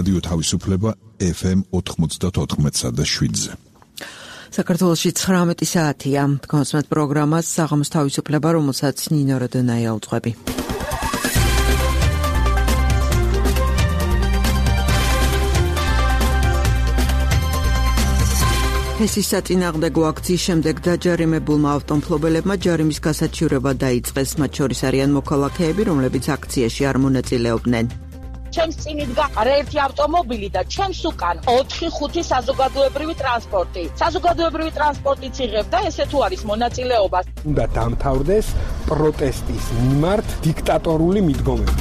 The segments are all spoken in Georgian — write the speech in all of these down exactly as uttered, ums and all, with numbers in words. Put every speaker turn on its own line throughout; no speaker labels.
რადიო თავისუფლება ეფ ემ ოთხმოცდაოთხ და შვიდზე.
საქართველოში ცხრამეტი საათია. კონსმეთ პროგრამას საღამოს თავისუფლება, რომელსაც ნინო როდონაია უძღვები. ფესის საწინააღმდეგო აქციის შემდეგ დაჯარიმებულმა ავტომფლობელებმა ჯარიმის გასაჩივრება დაიწყეს. მათ შორის არიან მოქალაქეები, რომლებიც აქციაში არ მონაწილეობდნენ.
ჩემს წინ იდგა ერთი ავტომობილი და ჩემს უკან ოთხი ხუთი საზოგადოებრივი ტრანსპორტი. საზოგადოებრივი ტრანსპორტიც იღებდა, ესე თუ არის მონაწილეობა.
უნდა დამთავრდეს პროტესტის მიმართ დიქტატორული მიდგომები.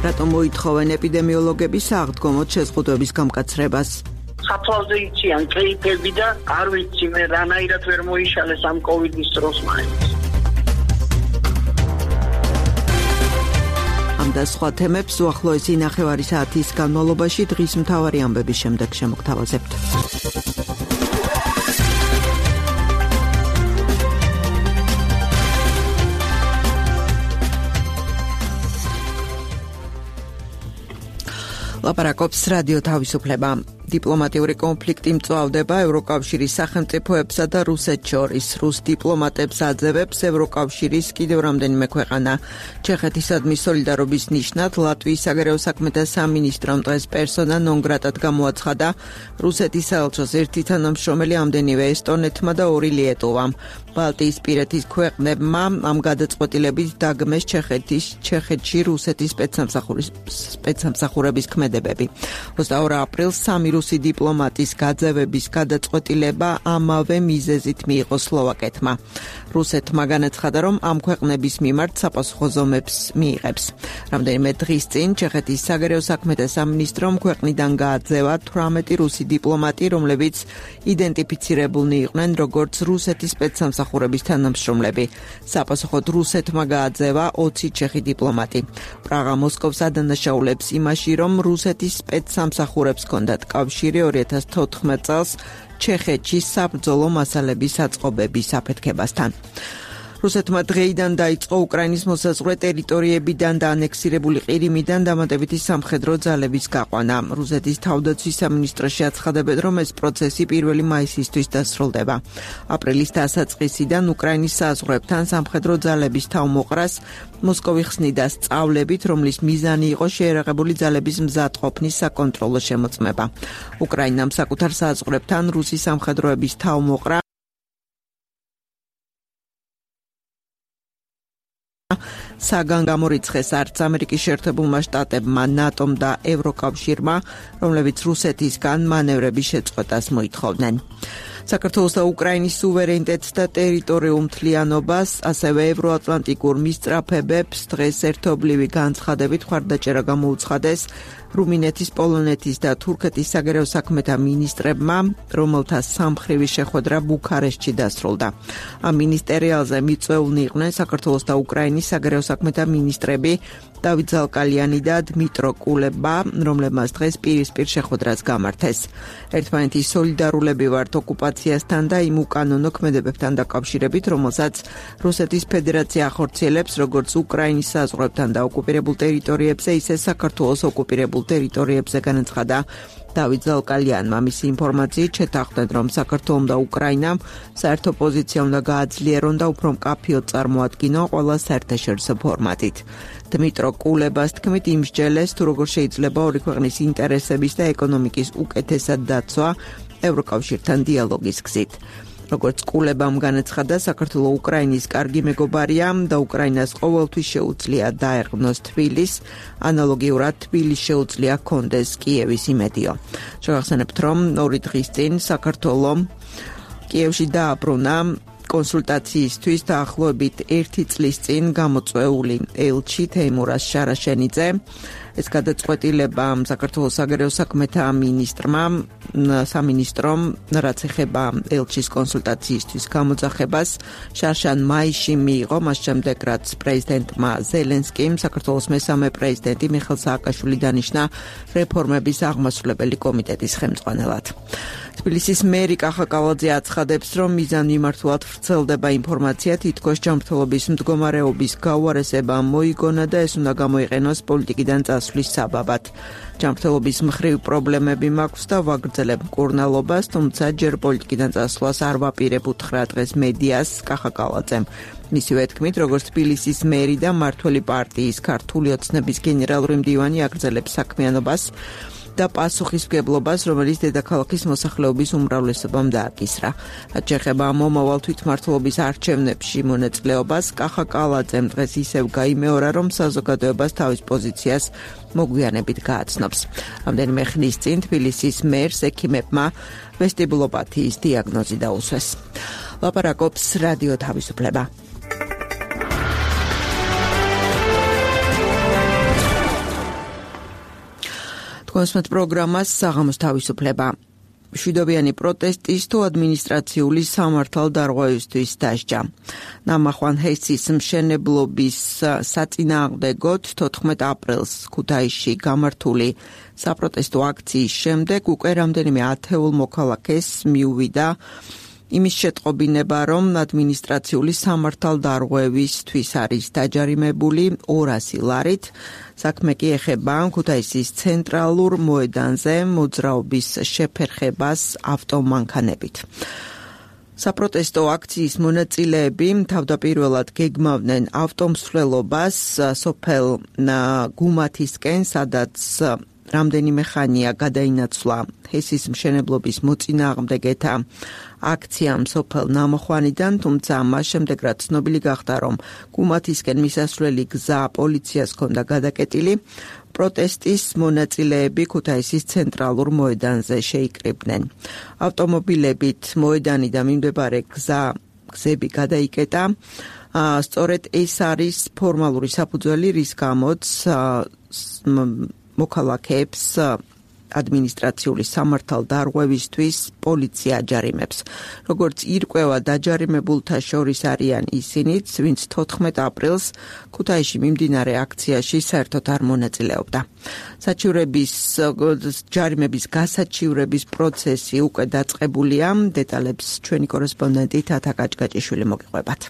რატომ მოითხოვენ ეპიდემიოლოგები სააღდგომოდ შეზღუდვების გამკაცრებას?
საფლავზე იციან კეიფები და არ ვიცი მე რანაირად ვერ მოიშალეს ამ კოვიდის დროს მაინც.
ამ და სხვა თემებს უახლოესი ნახევარი საათის განმავლობაში დღის მთავარი ამბების შემდეგ შემოგთავაზებთ. ლაპარაკობს რადიო თავისუფლება. დიპლომატიური კონფლიქტი მწვავდება ევროკავშირის სახელმწიფოებსა და რუსეთს შორის. რუს დიპლომატებს აძევებს ევროკავშირის კიდევ რამდენიმე ქვეყანა. ჩეხეთისადმი სოლიდარობის ნიშნად ლატვიის საგარეო საქმეთა სამინისტრომ დღეს პერსონა ნონ გრატად გამოაცხადა რუსეთის საელჩოს ერთი თანამშრომელი, ამდენივე ესტონეთმა და ორი ლიეტოვამ. ბალტიისპირეთის ქვეყნებმა ამ გადაწყვეტილებით დაგმეს ჩეხეთის ჩეხეთში რუსეთის სპეცსამსახურების ქმედებები. ოცდაორი აპრილს სამი რუსი დიპლომატის გაძევების გადაწყვეტილება ამავე მიზეზით მიიღო სლოვაკეთმა. რუსეთმა განაცხადა, რომ ამ ქვეყნების მიმართ საპასუხო ზომებს მიიღებს. რამდენიმე დღის წინ ჩეხეთის საგარეო საქმეთა სამინისტრომ ქვეყნიდან გააძევა თვრამეტი რუსი დიპლომატი, რომლებიც იდენტიფიცირებულნი იყვნენ როგორც რუსეთის სპეცსამსახურების თანამშრომლები. საპასუხოდ რუსეთმა გააძევა ოცი ჩეხი დიპლომატი. პრაღა მოსკოვს ადანაშაულებს იმაში, რომ რუსეთის სპეცსამსახურებს ჰქონდათ კავშირი ორი ათას თოთხმეტ წელს ჩეხეთში საბრძოლო მასალების აწყობების აფეთქებასთან. რუსეთმა დღეიდან დაიწყო უკრაინის მოსაზღვრე ტერიტორიებიდან და ანექსირებული ყირიმიდან დამატებითი სამხედრო ძალების გაყვანა. რუსეთის თავდაცვის სამინისტროში აცხადებენ, რომ ეს პროცესი პირველი მაისისთვის დასრულდება. აპრილის დასაწყისიდან უკრაინის საზღვრებთან სამხედრო ძალების თავმოყრას მოსკოვი ხსნიდა სწავლებით, რომლის მიზანი იყო შეერაღებული ძალების მზადყოფნის საკონტროლო შემოწმება. უკრაინამ საკუთარ საზღვრებთან რუსი სამხედროების თავმოყრა საგან გამორიცხეს არც ამერიკის შეერთებულმა შტატებმა, ნატომ და ევროკავშირმა, რომლებიც რუსეთისგან მანევრების შეწყვეტას მოითხოვდნენ. საქართველოს და უკრაინის სუვერენიტეტს და ტერიტორიულ მთლიანობას, ასევე ევროატლანტიკურ მისწრაფებებს დღეს ერთობლივი განცხადებით მხარდაჭერა გამოუცხადეს რუმინეთის, პოლონეთის და თურქეთის საგარეო საქმეთა მინისტრებმა, რომელთა სამხრივი შეხვედრა ბუქარესტში დასრულდა. ამ მინისტერიალზე მიწვეულნი იყვნენ საქართველოს და უკრაინის საგარეო საქმეთა მინისტრები დავით ზალკალიანი და დმიტრო კულება, რომლებმაც დღეს პირისპირ შეხვედრას გამართეს. ერთმანეთის სოლიდარულები ვართ ოკუპაციასთან და იმ უკანონო ქმედებებთან დაკავშირებით, რომელსაც რუსეთის ფედერაცია ახორციელებს როგორც უკრაინის საზღვრებთან და ოკუპირებულ ტერიტორიებზე, ისე საქართველოს ოკუპირებულ ტერიტორიებზე, განაცხადა დავით ზალკალიანმა. მისი ინფორმაციით შეთანხმდნენ, რომ საქართველომ და უკრაინამ საერთო პოზიცია უნდა გააძლიერონ და უფრო მკაფიოდ წარმოადგინონ ყველა საერთაშორისო ფორმატით. დმიტრო კულებას თქმით, იმსჯელეს თუ როგორ შეიძლება ორი ქვეყნის ინტერესების და ეკონომიკის უკეთესად დაცვა ევროკავშირთან დიალოგის გზით. როგორც კულებამ განაცხადა, საქართველო უკრაინის კარგი მეგობარია და უკრაინას ყოველთვის შეუძლია დაერღვნოს თბილისს, ანალოგიურად თბილისს შეუძლია ჰქონდეს კიევის იმედიო. შევახსენებთ, რომ ორი დღის წინ საქართველო კიევში დააბრუნა კონსულტაციისთვის დაახლოებით ერთი წლის წინ გამოწვეული ელჩი თეიმურაზ შარაშენიძე, ეს გადაწყვეტილება საქართველოს საგარეო საქმეთა მინისტრმა სამინისტრომ რაც ეხება ელჩის კონსულტაციისთვის გამოძახებას შარშან მაისში მიიღო, მას შემდეგ რაც პრეზიდენტმა ზელენსკიმ საქართველოს მესამე პრეზიდენტი მიხეილ სააკაშვილი დანიშნა რეფორმების აღმასრულებელი კომიტეტის ხელმძღვანელად. თბილისის მერი კახა კალაძე აცხადებს, რომ მიზანმიმართულად ვრცელდება ინფორმაცია, თითქოს ჯანმრთელობის მდგომარეობის გაუარესება მოიგონა და ეს უნდა გამოიყენოს პოლიტიკიდან წასვლის საბაბად. ჯანმრთელობის მხრივ პრობლემები მაქვს და ვაგრძელებ მკურნალობას, თუმცა ჯერ პოლიტიკიდან წასვლას არ ვაპირებ უთხრა დღეს მედიას კახა კალაძემ. მისივე თქმით, როგორც თბილისის მერი და მმართველი პარტიის ქართული ოცნების გენერალური მდივანი აგრძელებს საქმიანობას და პასუხისმგებლობას, რომელიც დედაქალაქის მოსახლეობის უმრავლესობამ დააკისრა. რაც შეეხება მომავალ თვითმმართველობის არჩევნებში მონაწილეობას, კახა კალაძემ დღეს ისევ გაიმეორა, რომ საზოგადოებას თავის პოზიციას მოგვიანებით გააცნობს. რამდენიმე ხნის წინ თბილისის მერს ექიმებმა ვესტიბულოპათიის დიაგნოზი დაუსვეს. ლაპარაკობს რადიო თავისუფლება. კონსმეთ პროგრამას საღამოს თავისუფლება. მშვიდობიანი პროტესტის თუ ადმინისტრაციული სამართალდარღვევისთვის დასჯა. ნამახვან ჰესის მშენებლობის საწინააღმდეგოდ თოთხმეტ აპრილს ქუთაისში გამართული საპროტესტო აქციის შემდეგ უკვე რამდენიმე ათეულ მოქალაქეს მიუვიდა იმის შეტყობინება, რომ ადმინისტრაციული სამართალდარღვევისთვის არის დაჯარიმებული ორასი ლარით. საქმე კი ეხება ქუთაისის ცენტრალურ მოედანზე მოძრაობის შეფერხებას ავტომანქანებით. საპროტესტო აქციის მონაწილეები თავდაპირველად გეგმავდნენ ავტომსვლელობას სოფელ გუმათისკენ, სადაც რამდენიმე ხანია გადაინაცვლა ჰესის მშენებლობის მოწინააღმდეგეთა აქციამ სოფელ ნამახვანიდან, თუმცა მას შემდეგ რაც ცნობილი გახდა, რომ გუმათისკენ მისასვლელი გზა პოლიციას ჰქონდა გადაკეტილი, პროტესტის მონაწილეები ქუთაისის ცენტრალურ მოედანზე შეიკრიბნენ. ავტომობილებით მოედანი და მიმდებარე გზა გზები გადაიკეტა. სწორედ ეს არის ფორმალური საფუძველი, რის გამოც მოქალაქეებს ადმინისტრაციული სამართალდარღვევისთვის პოლიცია აჯარიმებს. როგორც ირკვევა დაჯარიმებულთა შორის არიან ისინიც, ვინც თოთხმეტ აპრილს ქუთაისში მიმდინარე აქციაში საერთოდ არ მონაწილეობდა. საჩივრების ჯარიმების გასაჩივრების პროცესი უკვე დაწყებულია. დეტალებს ჩვენი კორესპონდენტი თათა კაჭკაჭიშვილი მოგიყვებათ.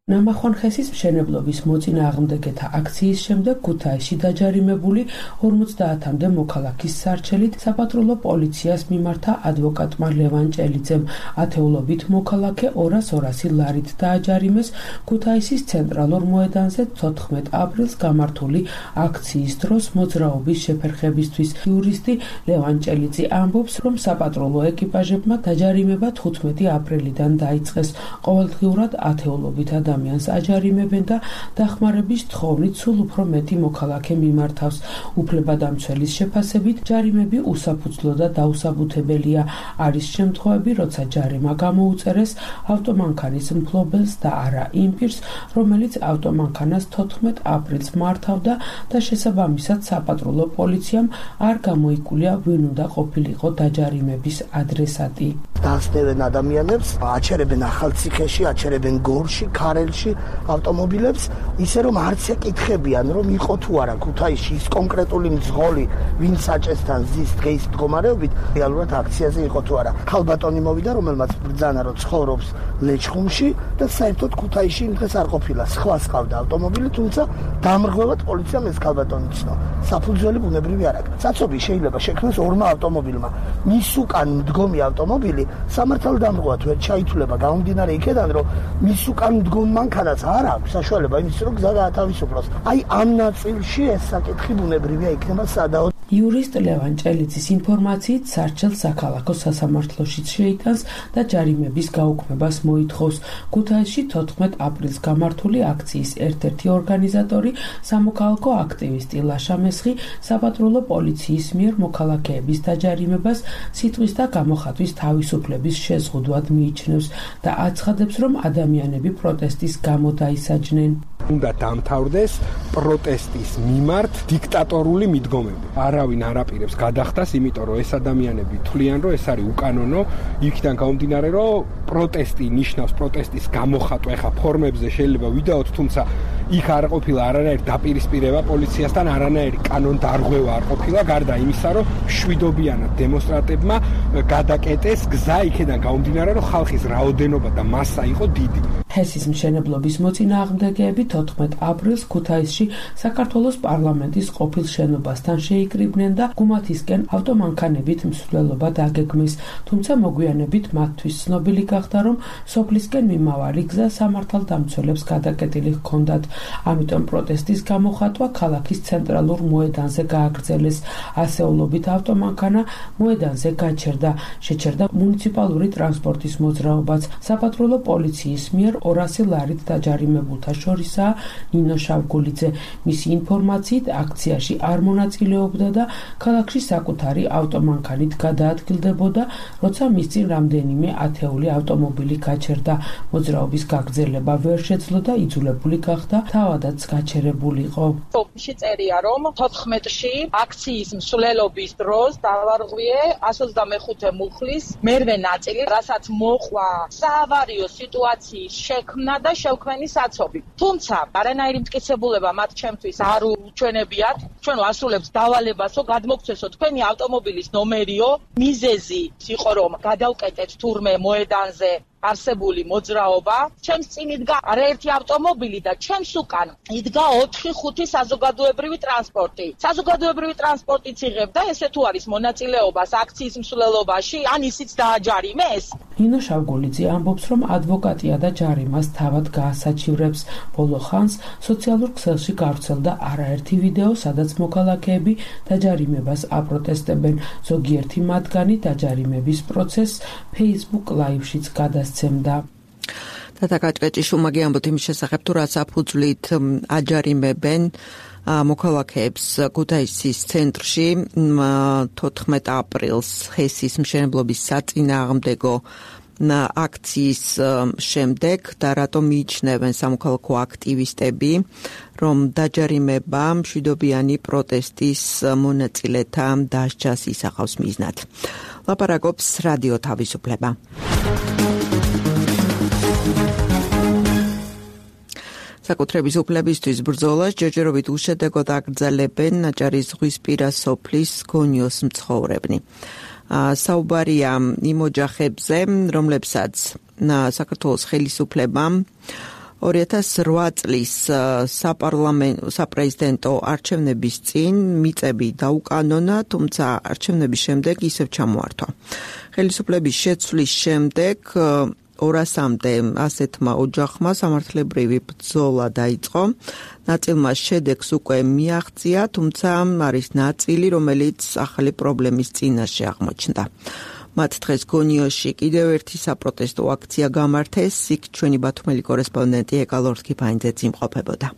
ნამახვან ჰესის მშენებლობის მოწინააღმდეგეთა აქციის შემდეგ ქუთაისში დაჯარიმებული ორმოცდაათამდე მოქალაქის სარჩელით საპატრულო პოლიციას მიმართა ადვოკატმა ლევან ჭელიძემ. ათეულობით მოქალაქე ორას ორასი ლარით დააჯარიმეს ქუთაისის ცენტრალურ მოედანზე თოთხმეტ აპრილს გამართული აქციის დროს მოძრაობის შეფერხებისთვის. იურისტი ლევან ჭელიძე ამბობს, რომ საპატრულო ეკიპაჟებმა დაჯარიმება თხუთმეტი აპრილიდან დაიწყეს. ყოველდღიურად ათეულობით ადამიანს აჯარიმებენ და დახმარების თხოვნით სულ უფრო მეტი მოქალაქე მიმართავს. უფლებადამცველის შეფასებით ჯარიმები უსაფუძვლო და დაუსაბუთებელია. არის შემთხვევები, როცა ჯარიმა გამოუწერეს ავტომანქანის მფლობელს და არა იმ პირს, რომელიც ავტომანქანას თოთხმეტ აპრილს მართავდა და შესაბამისად საპატრულო პოლიციამ არ გამოიკვლია, ვინ უნდა ყოფილიყო დაჯარიმების ადრესატი.
დასდევენ ადამიანებს, აჩერებენ ახალციხეში, აჩერებენ გორში, ქარელში ავტომობილებს, ისე რომ არც ეკითხებიან, რომ იყო თუ არა ქუთაისში ის კონკრეტული მძღოლი, ვინც საჭესთან ზის დღის მდგომარეობით, რეალურად აქციაზე იყო თუ არა. ქალბატონი მოვიდა, რომელმაც ბრძანა, რომ ცხოვრობს ლეჩხუმში და საერთოდ ქუთაისში იმ დღეს არ ყოფილა. სხვას ყავდა ავტომობილი, თუმცა დამრღვევად პოლიციამ ეს ქალბატონი ცნო. საფუძველი ბუნებრივი არ აქვს. საცობი შეიძლება შექმნას ორმა ავტომობილმა. მის უკან მდგომი ავტომობილი სამართალდამღვრად ვერ ჩაითვლება გამომდინარე იქედან, რომ მის უკან მდგომ მანქანას არ აქვს საშუალება იმის, რომ გზა გაათავისუფლოს. აი ამ ნაწილში ეს საკითხი ბუნებრივია იქნება სადაო.
იურისტ ლევან ჭელიძის ინფორმაციით სარჩელ საქალაქო სასამართლოშიც შეიტანს და ჯარიმების გაუქმებას მოითხოვს. ქუთაისში თოთხმეტ აპრილს გამართული აქციის ერთ-ერთი ორგანიზატორი, სამოქალაქო აქტივისტი ლაშა მესხი საპატრულო პოლიციის მიერ მოქალაქეების დაჯარიმებას სიტყვის და გამოხატვის თავისუფლების შეზღუდვად მიიჩნევს და აცხადებს, რომ ადამიანები პროტესტის გამო დაისაჯნენ.
უნდა დამთავრდეს პროტესტის მიმართ დიქტატორული მიდგომები. არავინ არ აპირებს გადახდას, იმიტომ რომ ეს ადამიანები თვლიან, რომ ეს არის უკანონო, იქიდან გამომდინარე, რომ პროტესტი ნიშნავს პროტესტის გამოხატვა, ეხა ფორმებზე შეიძლება ვიდაოთ, თუმცა იქ არ ყოფილა არანაირი დაპირისპირება პოლიციასთან, არანაირი კანონდარღვევა არ ყოფილა, გარდა იმისა, რომ მშვიდობიანად დემონსტრანტებმა გადაკეტეს გზა იქიდან გამომდინარე, რომ ხალხის რაოდენობა და მასა იყო დიდი.
ჰესის მშენებლობის მოწინააღმდეგეები თოთხმეტ აპრილს ქუთაისში საქართველოს პარლამენტის ყოფილ შენობასთან შეიკრიბნენ და გუმათისკენ ავტომანქანებით მსვლელობა დაგეგმეს, თუმცა მოგვიანებით მათთვის ცნობილი გახდა, რომ სოფლისკენ მიმავალი გზა სამართალდამცველებს გადაკეტილი ჰქონდათ. ამიტომ პროტესტის გამოხატვა ქალაქის ცენტრალურ მოედანზე გააგრძელეს. ასეულობით ავტომანქანა მოედანზე გაჩერდა, შეჩერდა მუნიციპალური ტრანსპორტის მოძრაობაც. საპატრულო პოლიციის მიერ ორასი ლარით დაჯარიმებულთა შორისაა ნინო შავგულიძე. მისი ინფორმაციით აქციაში არ მონაწილეობდა და ქალაქში საკუთარი ავტომანქანით გადაადგილდებოდა, როცა მის წინ რამდენიმე ათეული ავტომობილი გაჩერდა. მოძრაობის გაგრძელება ვერ შეძლო და იძულებული გახდა თავადაც გაჩერებული იყო.
სოფლში წერია, რომ თოთხმეტში აქციის მსვლელობის დროს დავარღვიე εκατს ოცდამეხუთე მუხლის მერვე ნაწილი, რასაც მოყვა საავარიო სიტუაციის შექმნა და შევქმენი საცობი. თუმცა არანაირი მტკიცებულება მათ ჩემთვის არ უჩვენებიათ. ჩვენ ვასრულებთ დავალებასო გადმოგცესო თქვენი ავტომობილის ნომერიო. მიზეზი იყო, რომ გადავკეტეთ თურმე მოედანზე არსებული მოძრაობა. ჩემს წინ იდგა არაერთი ავტომობილი და ჩემს უკან იდგა ოთხი ხუთი საზოგადოებრივი ტრანსპორტი. საზოგადოებრივი ტრანსპორტიც იღებდა, ესე თუ არის მონაწილეობას აქციის მსვლელობაში, ან ისიც დააჯარიმეს.
ნინო შავგულიძე ამბობს, რომ ადვოკატია და ჯარიმას თავად გაასაჩივრებს. ბოლო ხანს სოციალურ ქსელში გავრცელდა არაერთი ვიდეო, სადაც მოქალაქეები დაჯარიმებას აპროტესტებენ. ზოგიერთი მათგანი დაჯარიმების პროცესს Facebook Live-შიც გადასცემდა.
დათაკაჭკეჭი შუმაგი ამბობთ იმის შესახებ, თუ რა საფუძვლით აჯარიმებენ მოქალაქეებს ქუთაისის ცენტრში თოთხმეტ აპრილს ჰესის მშენებლობის საწინააღმდეგო აქციის შემდეგ და რატომ მიიჩნევენ სამოქალაქო აქტივისტები, რომ დაჯარიმება მშვიდობიანი პროტესტის მონაწილეთა დასჯას ისახავს მიზნად. ლაპარაკობს რადიო თავისუფლება. საკუთრების უფლებისთვის ბრძოლას ჯერჯერობით უშედეგოდ აგრძელებენ ნაჭარის ზღვისპირა სოფლის გონიოს მცხოვრებნი. საუბარია იმ ოჯახებზე, რომლებსაც საქართველოს ხელისუფლებამ ორი ათას ოთხ წლის საპარლამენტო საპრეზიდენტო არჩევნების წინ მიწები დაუკანონა, თუმცა არჩევნების შემდეგ ისევ ჩამოართვა. ხელისუფლების შეცვლის შემდეგ ორასამდე ასეთმა ოჯახმა სამართლებრივი ბრძოლა დაიწყო. ნაწილმა შედეგს უკვე მიაღწია, თუმცა არის ნაწილი, რომელიც ახალი პრობლემის წინაშე აღმოჩნდა. მათ დღეს გონიოში კიდევ ერთი საპროტესტო აქცია გამართეს. იქ ჩვენი ბათუმელი კორესპონდენტი ეკალორთ ქიფაინძეც იმყოფებოდა.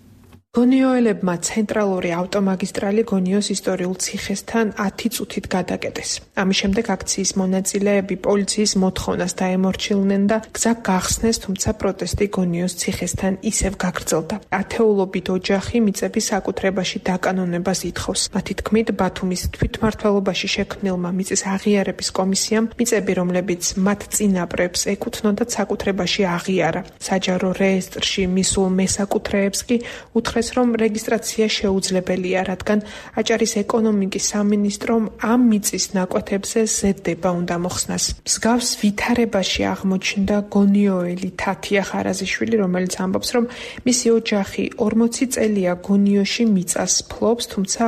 გონიოელებმა ცენტრალური ავტომაგისტრალი გონიოს ისტორიულ ციხესთან ათი წუთით გადაკეტეს. ამის შემდეგ აქციის მონაწილეები პოლიციის მოთხოვნას დაემორჩილნენ და გზა გახსნეს, თუმცა პროტესტი გონიოს ციხესთან ისევ გაგრძელდა. ათეულობით ოჯახი მიწების საკუთრებაში დაკანონებას ითხოვს. მათი თქმით, ბათუმის თვითმმართველობაში შექმნილმა მიწის აღიარების კომისიამ მიწები, რომლებიც მათ წინაპრებს ეკუთვნოდათ, საკუთრებაში აღიარა. საჯარო რეესტრში მისულ მესაკუთრეებს კი უთხრეს, რომ რეგისტრაცია შეუძლებელია, რადგან აჭარის ეკონომიკის სამინისტრომ ამ მიწის ნაკვეთებზე ზედება უნდა მოხსნას. მსგავს ვითარებაში აღმოჩნდა გონიოელი თათია ხარაზიშვილი, რომელიც ამბობს, რომ მისი ოჯახი ორმოცი წელია გონიოში მიწას ფლობს, თუმცა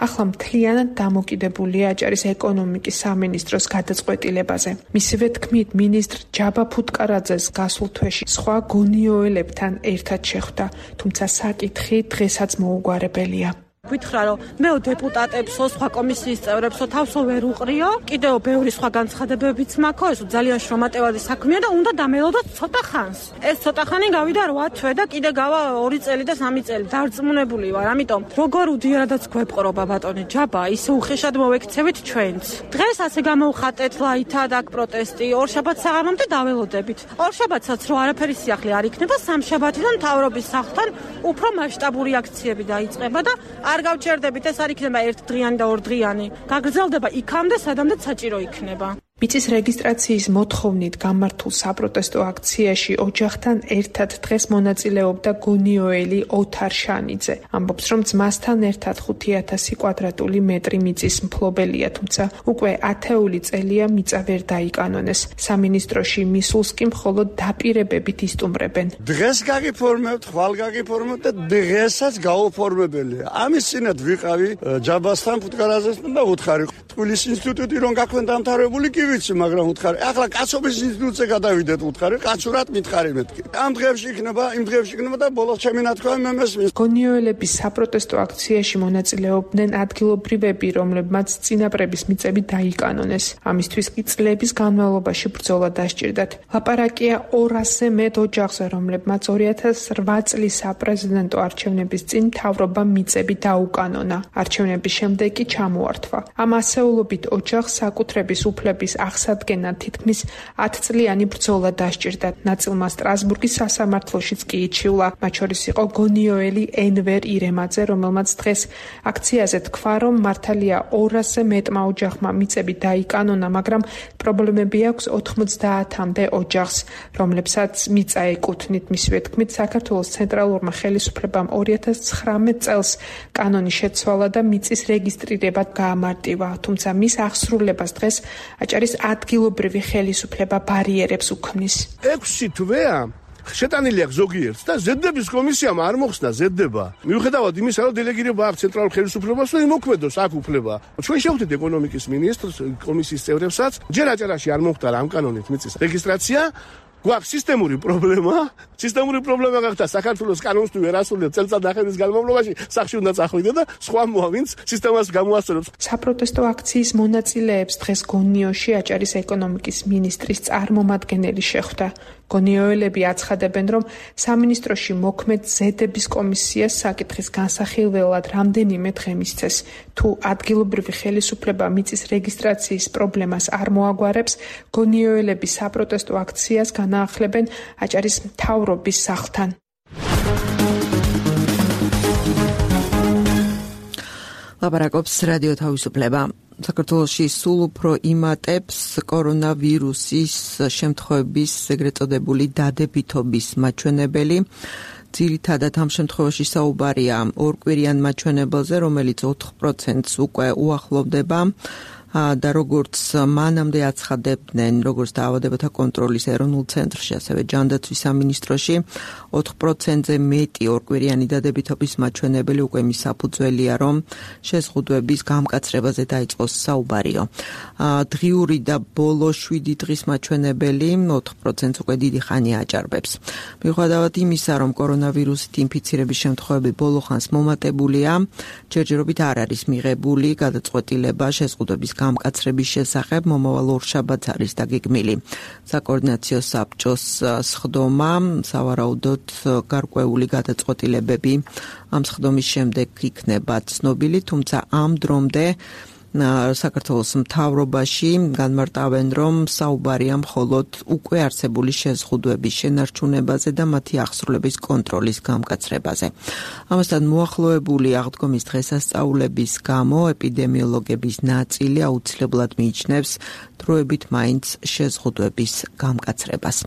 ახლა მთლიანად დამოკიდებულია აჭარის ეკონომიკის სამინისტროს გადაწყვეტილებაზე. მისივე თქმით, მინისტრ ჯაბა ფუტკარაძეს გასულ თვეში სხვა გონიოელებთან ერთად შეხვდა, თუმცა საკითხი დღესაც მოუგვარებელია.
გითხრა რომ მეო დეპუტატებსო, სხვა კომისიის წევრებსო თავსო ვერ უყრიო. კიდევ ბევრი სხვა განცხადებებიც მაქვს, ეს ძალიან შრომატევადი საქმეა და უნდა დამელოდოთ ცოტა ხანს. ეს ცოტა ხანი გავიდა რვა თვე და კიდე გავა ორი წელი და სამი წელი. დარწმუნებული ვარ, ამიტომ როგორ უდიარადაც გვეპყრობა ბატონი ჯაბა, ისე უხეშად მოვექცევით ჩვენც. დღეს ასე გამოვხატეთ ლაითა და პროტესტი, ორშაბათს საღამომდე დაველოდებით. ორშაბათსაც რო არაფერი სიახლე არ იქნება, სამშაბათიდან მთავრობის სახლთან უფრო მასშტაბური აქციები დაიწყება და არ გავჩერდებით, ეს არ იქნება ერთდღიანი და ორდღიანი. გაგრძელდება იქამდე, სადამდე საჭირო იქნება.
მიწის რეგისტრაციის მოთხოვნით გამართულ საპროტესტო აქციაში ოჯახთან ერთად დღეს მონაწილეობდა გონიოელი ოთარ შანიძე. ამბობს, რომ ძმასთან ერთად ხუთი ათასი კვადრატული მეტრი მიწის მფლობელია, თუმცა უკვე ათეული წელია მიწა ვერ დაიკანონეს. სამინისტროში მისულს კი მხოლოდ დაპირებებით ისტუმრებენ.
დღეს გაგიფორმებთ, ხვალ გაგიფორმებთ და დღესაც გაუფორმებელია. ამის წინათ ვიყავი ჯაბასთან ფუტკარაზეს და უთხარი. თბილისის ინსტიტუტი რომ გაქვენ დამთავრებული კი ვიცი, მაგრამ უთხარი. ახლა კაცობის ინსტიტუტზე გადავიდეთ უთხარი, კაცურად მითხარი მეთქი. ამ დღეებში იქნება, იმ დღეებში იქნება და ბოლოს ჩემი ნათქვამი მე მესმის.
გონიოელების საპროტესტო აქციაში მონაწილეობდნენ ადგილობრივები, რომლებმაც წინაპრების მიწები დაიკანონეს. ამისთვის კი წლების განმავლობაში ბრძოლა დასჭირდათ. ლაპარაკია ორასზე მეტ ოჯახზე, რომლებმაც ორი ათას რვა წლის საპრეზიდენტო არჩევნების წინ მთავრობამ მიწები დაუკანონა. არჩევნების შემდეგ კი ჩამოართვა. ამ ასეულობით ოჯახს საკუთრების უფლების აღსადგენად თითქმის ათწლიანი ბრძოლა დასჭირდათ. ნაწილმა სტრასბურგის სასამართლოშიც კი იჩივლა. მათ შორის იყო გონიოელი ენვერ ირემაძე, რომელმაც დღეს აქციაზე თქვა, რომ მართალია ორასზე მეტმა ოჯახმა მიწები დაიკანონა, მაგრამ პრობლემები აქვს ოთხმოცდაათამდე ოჯახს, რომლებსაც მიწა ეკუთვნით. მისივე თქმით, საქართველოს ცენტრალურმა ხელისუფლებამ ორი ათას ცხრამეტ წელს კანონი შეცვალა და მიწის რეგისტრირება გაამარტივა, თუმცა მის აღსრულებას დღეს აჭარის ადგილობრივი ხელისუფლება ბარიერებს უქმნის.
ექვსი თვეა შეტანილი აქვს ზოგიერთს და ზედების კომისიამ არ მოხსნა ზედება. მიუხედავად იმისა, რომ დელეგირება აქვს ცენტრალურ ხელისუფლებას, რომ იმოქმედოს აქ უფლება. ჩვენ შევხვდით ეკონომიკის მინისტრს, კომისიის წევრებსაც, ჯერ აჭარაში არ მომხდარა ამ კანონით მიწის რეგისტრაცია. გვაქვს სისტემური პრობლემა. სისტემური პრობლემა გახდა საქართველოს კანონს თუ ვერ ასრულებს წელწადახევრის განმავლობაში, სახში უნდა წახვიდე და სხვა მოავინც სისტემას გამოასწორებს.
საპროტესტო აქციის მონაწილეებს დღეს გონიოში აჭარის ეკონომიკის მინისტრის წარმომადგენელი შეხვდა. გონიოელები აცხადებენ, რომ სამინისტროში მოქმედ ზედების კომისიას საკითხის განსახილველად რამდენიმე დღე მისცეს. თუ ადგილობრივი ხელისუფლება მიწის რეგისტრაციის პრობლემას არ მოაგვარებს, გონიოელები საპროტესტო აქციას განაახლებენ აჭარის მთავრობის სახლთან.
ლაპარაკობს რადიო თავისუფლება. საქართველოში სულ უფრო იმატებს კორონავირუსის შემთხვევების ეგრეთ წოდებული დადებითობის მაჩვენებელი. ძირითადად ამ შემთხვევაში საუბარია ორკვირიან მაჩვენებელზე, რომელიც ოთხ პროცენტს უკვე უახლოვდება. და როგორც მანამდე აცხადებდნენ, როგორც დაავადებათა კონტროლის ეროვნულ ცენტრში, ასევე ჯანდაცვის სამინისტროში, ოთხ პროცენტზე მეტი ორკვირიანი დადებითობის მაჩვენებელი უკვე მის საფუძველია, რომ შეზღუდვების გამკაცრებაზე დაიწყოს საუბარიო. დღიური და ბოლო შვიდი დღის მაჩვენებელი ოთხ პროცენტს უკვე დიდი ხანი აჭარბებს. მიუხედავად იმისა, რომ კორონავირუსით ინფიცირების შემთხვევები ბოლო ხანს მომატებულია, ჯერჯერობით არ არის მიღებული გადაწყვეტილება შეზღუდვების გამკაცრების შესახებ. მომავალ ორშაბათს არის დაგეგმილი საკოორდინაციო საბჭოს სხდომა, სავარაუდოდ გარკვეული გადაწყვეტილებები ამ სხდომის შემდეგ იქნება ცნობილი, თუმცა ამ დრომდე საქართველოს მთავრობაში განმარტავენ, რომ საუბარია მხოლოდ უკვე არსებული შეზღუდვების შენარჩუნებაზე და მათი აღსრულების კონტროლის გამკაცრებაზე. ამასთან მოახლოებული აღდგომის დღესასწაულების გამო ეპიდემიოლოგების ნაწილი აუცილებლად მიიჩნევს დროებით მაინც შეზღუდვების გამკაცრებას.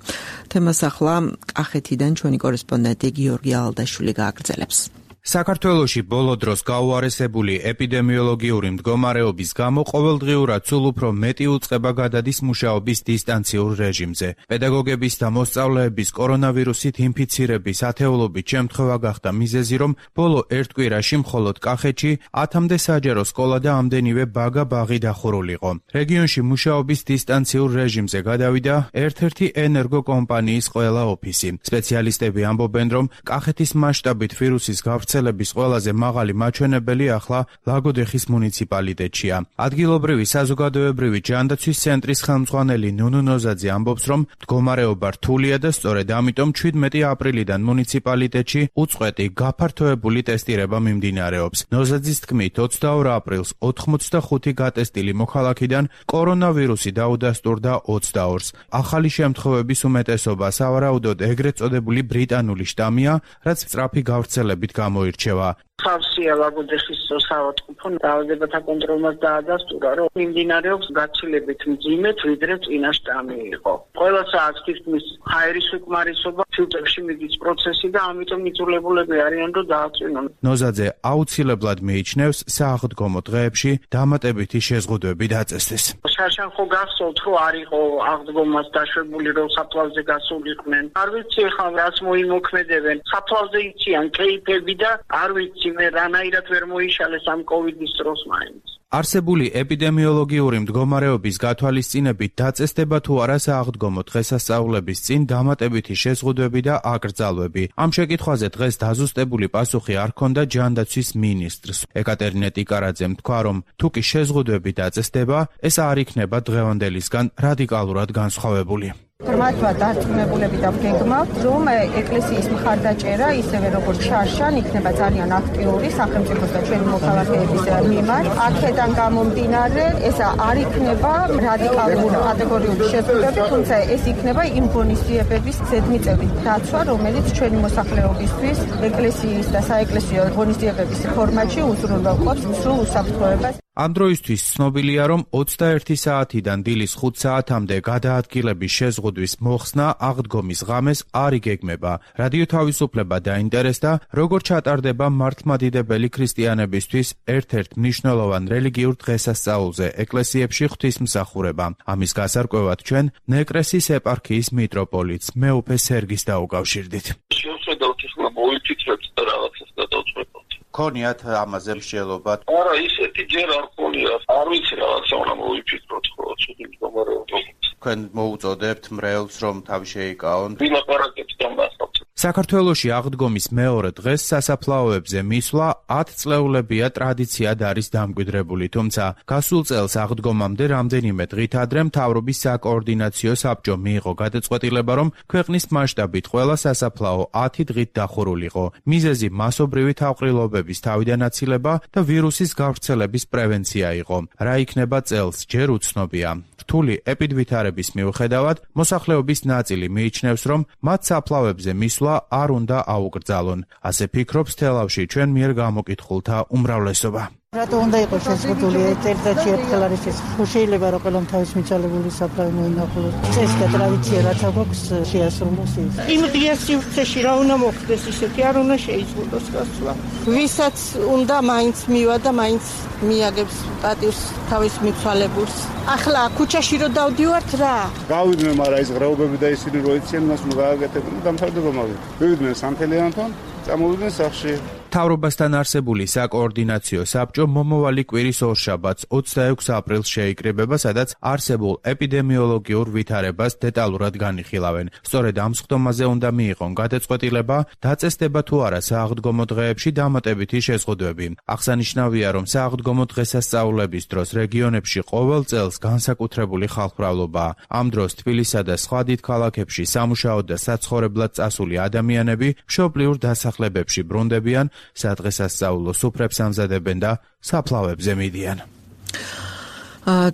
თემას ახლა კახეთიდან ჩვენი კორესპონდენტი გიორგი ალდაშვილი გააგრძელებს.
საქართველოში ბოლო დროს გაუარესებული ეპიდემიოლოგიური მდგომარეობის გამო ყოველდღიურად სულ უფრო მეტი უწყება გადადის მუშაობის დისტანციურ რეჟიმზე. პედაგოგების და მოსწავლეების კორონავირუსით ინფიცირების ათეულობით შემთხვევა გახდა მიზეზი, რომ ბოლო ერთ კვირაში მხოლოდ კახეთში ათამდე საჯარო სკოლა და ამდენივე ბაგა ბაღი დახურულიყო. რეგიონში მუშაობის დისტანციურ რეჟიმზე გადავიდა ერთ-ერთი ენერგო კომპანიის ყველა ოფისი. სპეციალისტები ამბობენ, რომ კახეთის მასშტაბით ვირუსის გავრცელება გავრცელების ყველაზე მაღალი მაჩვენებელი ახლა ლაგოდეხის მუნიციპალიტეტშია. ადგილობრივი საზოგადოებრივი ჯანდაცვის ცენტრის ხელმძღვანელი ნუნუ ნოზაძე ამბობს, რომ მდგომარეობა რთულია და სწორედ ამიტომ ჩვიდმეტი აპრილიდან მუნიციპალიტეტში უწყვეტი გაფართოებული ტესტირება მიმდინარეობს. ნოზაძის თქმით, ოცდაორ აპრილს ოთხმოცდახუთი გატესტილი მოქალაქიდან კორონავირუსი დაუდასტურდა ოცდაორს. ახალი შემთხვევების უმეტესობა სავარაუდოდ ეგრეთ წოდებული ბრიტანული შტამია, რაც სწრაფი გავრცელებით გამოირჩევა.
ხავსია ლაგოდეხის საავადმყოფო დაავადებათა კონტროლმაც დაადასტურა, რომ მიმდინარეობს გაცილებით მძიმედ, ვიდრე წინა შტამი იყო. ყველა საათს თითქმის ჰაერის უკმარისობა, ფილტრებში მიდის პროცესი და ამიტომ იძულებულები არიან, რომ დააწვინონ.
ნოზაძე აუცილებლად მიიჩნევს სააღდგომო დღეებში დამატებითი შეზღუდვები დაწესდეს.
შარშან ხო გახსოვთ, რომ არ იყო აღდგომას დაშვებული, რომ საფლავზე გასულიყვნენ. არ ვიცი ხა რას მოიმოქმედებენ. საფლავზე იციან კეიფები და არ ვიცი მე რანაირად ვერ მოიშალეს ამ კოვიდის დროს მაინც.
არსებული ეპიდემიოლოგიური მდგომარეობის გათვალისწინებით დაწესდება თუ არა სააღდგომო დღესასწაულების წინ დამატებითი შეზღუდვები და აკრძალვები. ამ შეკითხვაზე დღეს დაზუსტებული პასუხი არ ჰქონდა ჯანდაცვის მინისტრს. ეკატერინე ტიკარაძემ თქვა, რომ თუ კი შეზღუდვები დაწესდება, ეს არ იქნება დღევანდელისგან რადიკალურად განსხვავებული.
ღრმათმა დარწმუნებულები და ვგეგმავთ, რომ ეკლესიის მხარდაჭერა, ისევე როგორც შარშან, იქნება ძალიან აქტიური სახელმწიფოს და ჩვენი მოქალაქეების მიმართ. აქედან გამომდინარე, ეს არ იქნება რადიკალური კატეგორიული შეზღუდვები, თუმცა ეს იქნება იმ ღონისძიებების ზედმიწევრი დაცვა, რომელიც ჩვენი მოსახლეობისთვის ეკლესიის და საეკლესიო ღონისძიებების ფორმატში უზრუნველყოფს სრულ უსაფრთხოებას.
ამ დროისთვის ცნობილია, რომ ოცდაერთი საათიდან დილის ხუთ საათამდე გადაადგილების შეზღუდვის მოხსნა აღდგომის ღამეს არ იგეგმება. რადიო თავისუფლება დაინტერესდა, როგორ ჩატარდება მართლმადიდებელი ქრისტიანებისთვის ერთ-ერთ მნიშვნელოვან რელიგიურ დღესასწაულზე ეკლესიებში ღვთისმსახურება. ამის გასარკვევად ჩვენ ნეკრესის ეპარქიის მიტროპოლიტს მეუფე სერგის დაუკავშირდით.
შევხედავთ ახლა მოვიფიქრებთ და რაღაცას გადავწყვეტოთ. ქონიათ ამაზე მსჯელობა? არა, ისეთი ჯერ არ ქონიათ. არ ვიცი რაღაცა უნდა მოვიფიქროთ, ხო, ცუდი მდგომარეობა. თქვენ მოუწოდებთ მრევლს, რომ თავი შეიკავონ? ვილაპარაკებთ ამასთან.
საქართველოში აღდგომის მეორე დღეს სასაფლაოებზე მისვლა ათ წლეულებია ტრადიციად არის დამკვიდრებული, თუმცა გასულ წელს აღდგომამდე რამდენიმე დღით ადრე მთავრობის საკოორდინაციო საბჭომ მიიღო გადაწყვეტილება, რომ ქვეყნის მასშტაბით ყველა სასაფლაო ათი დღით დახურულიყო. მიზეზი მასობრივი თავყრილობების თავიდანაცილება და ვირუსის გავრცელების პრევენცია იყო. რა იქნება წელს, ჯერ უცნობია. რთული ეპიდვითარების მიუხედავად, მოსახლეობის ნაწილი მიიჩნევს, რომ მათ საფლავებზე მისვლა არ უნდა აუკრძალონ. ასე ფიქრობს თელავში ჩვენ მიერ გამოკითხულთა უმრავლესობა.
რატო უნდა იყოს შეზღუდული ერთ-ერთი ერთხელ არის ეს? ხო შეიძლება რომ ყველამ თავის მიცვალებული საფლავი მოინახულოს. წესი და ტრადიცია რაც აქვს შეასრულოს ის. იმ დღეს სივრცეში რა უნდა მოხდეს ისეთი არ უნდა შეიზღუდოს გასვლა. ვისაც უნდა მაინც მივა და მაინც მიაგებს პატივს თავის მიცვალებულს. ახლა ქუჩაში რო დავდივართ რა?
გავიდნენ, მაგრამ ის ღრეობები და ისინი რო იციან, მას უნდა გააკეთებინო და დამთავრდება მაგით. მივიდნენ სამთელიანთან, წამოვიდნენ სახლში.
მთავრობასთან არსებული საკოორდინაციო საბჭო მომავალი კვირის ორშაბათს ოცდაექვსი აპრილს შეიკრიბება, სადაც არსებულ ეპიდემიოლოგიურ ვითარებას დეტალურად განიხილავენ. სწორედ ამ სხდომაზე უნდა მიიღონ გადაწყვეტილება, დაწესდება თუ არა სააღდგომო დღეებში დამატებითი შეზღუდვები. აღსანიშნავია, რომ სააღდგომო დღესასწაულების დროს რეგიონებში ყოველ წელს განსაკუთრებული ხალხმრავლობაა. ამ დროს თბილისსა და სხვა დიდ ქალაქებში სამუშაოდ და საცხოვრებლად წასული ადამიანები მშობლიურ დასახლებებში ბრუნდებიან, სადღესასწაულო სუფრებს ამზადებენ და საფლავებზე მიდიან.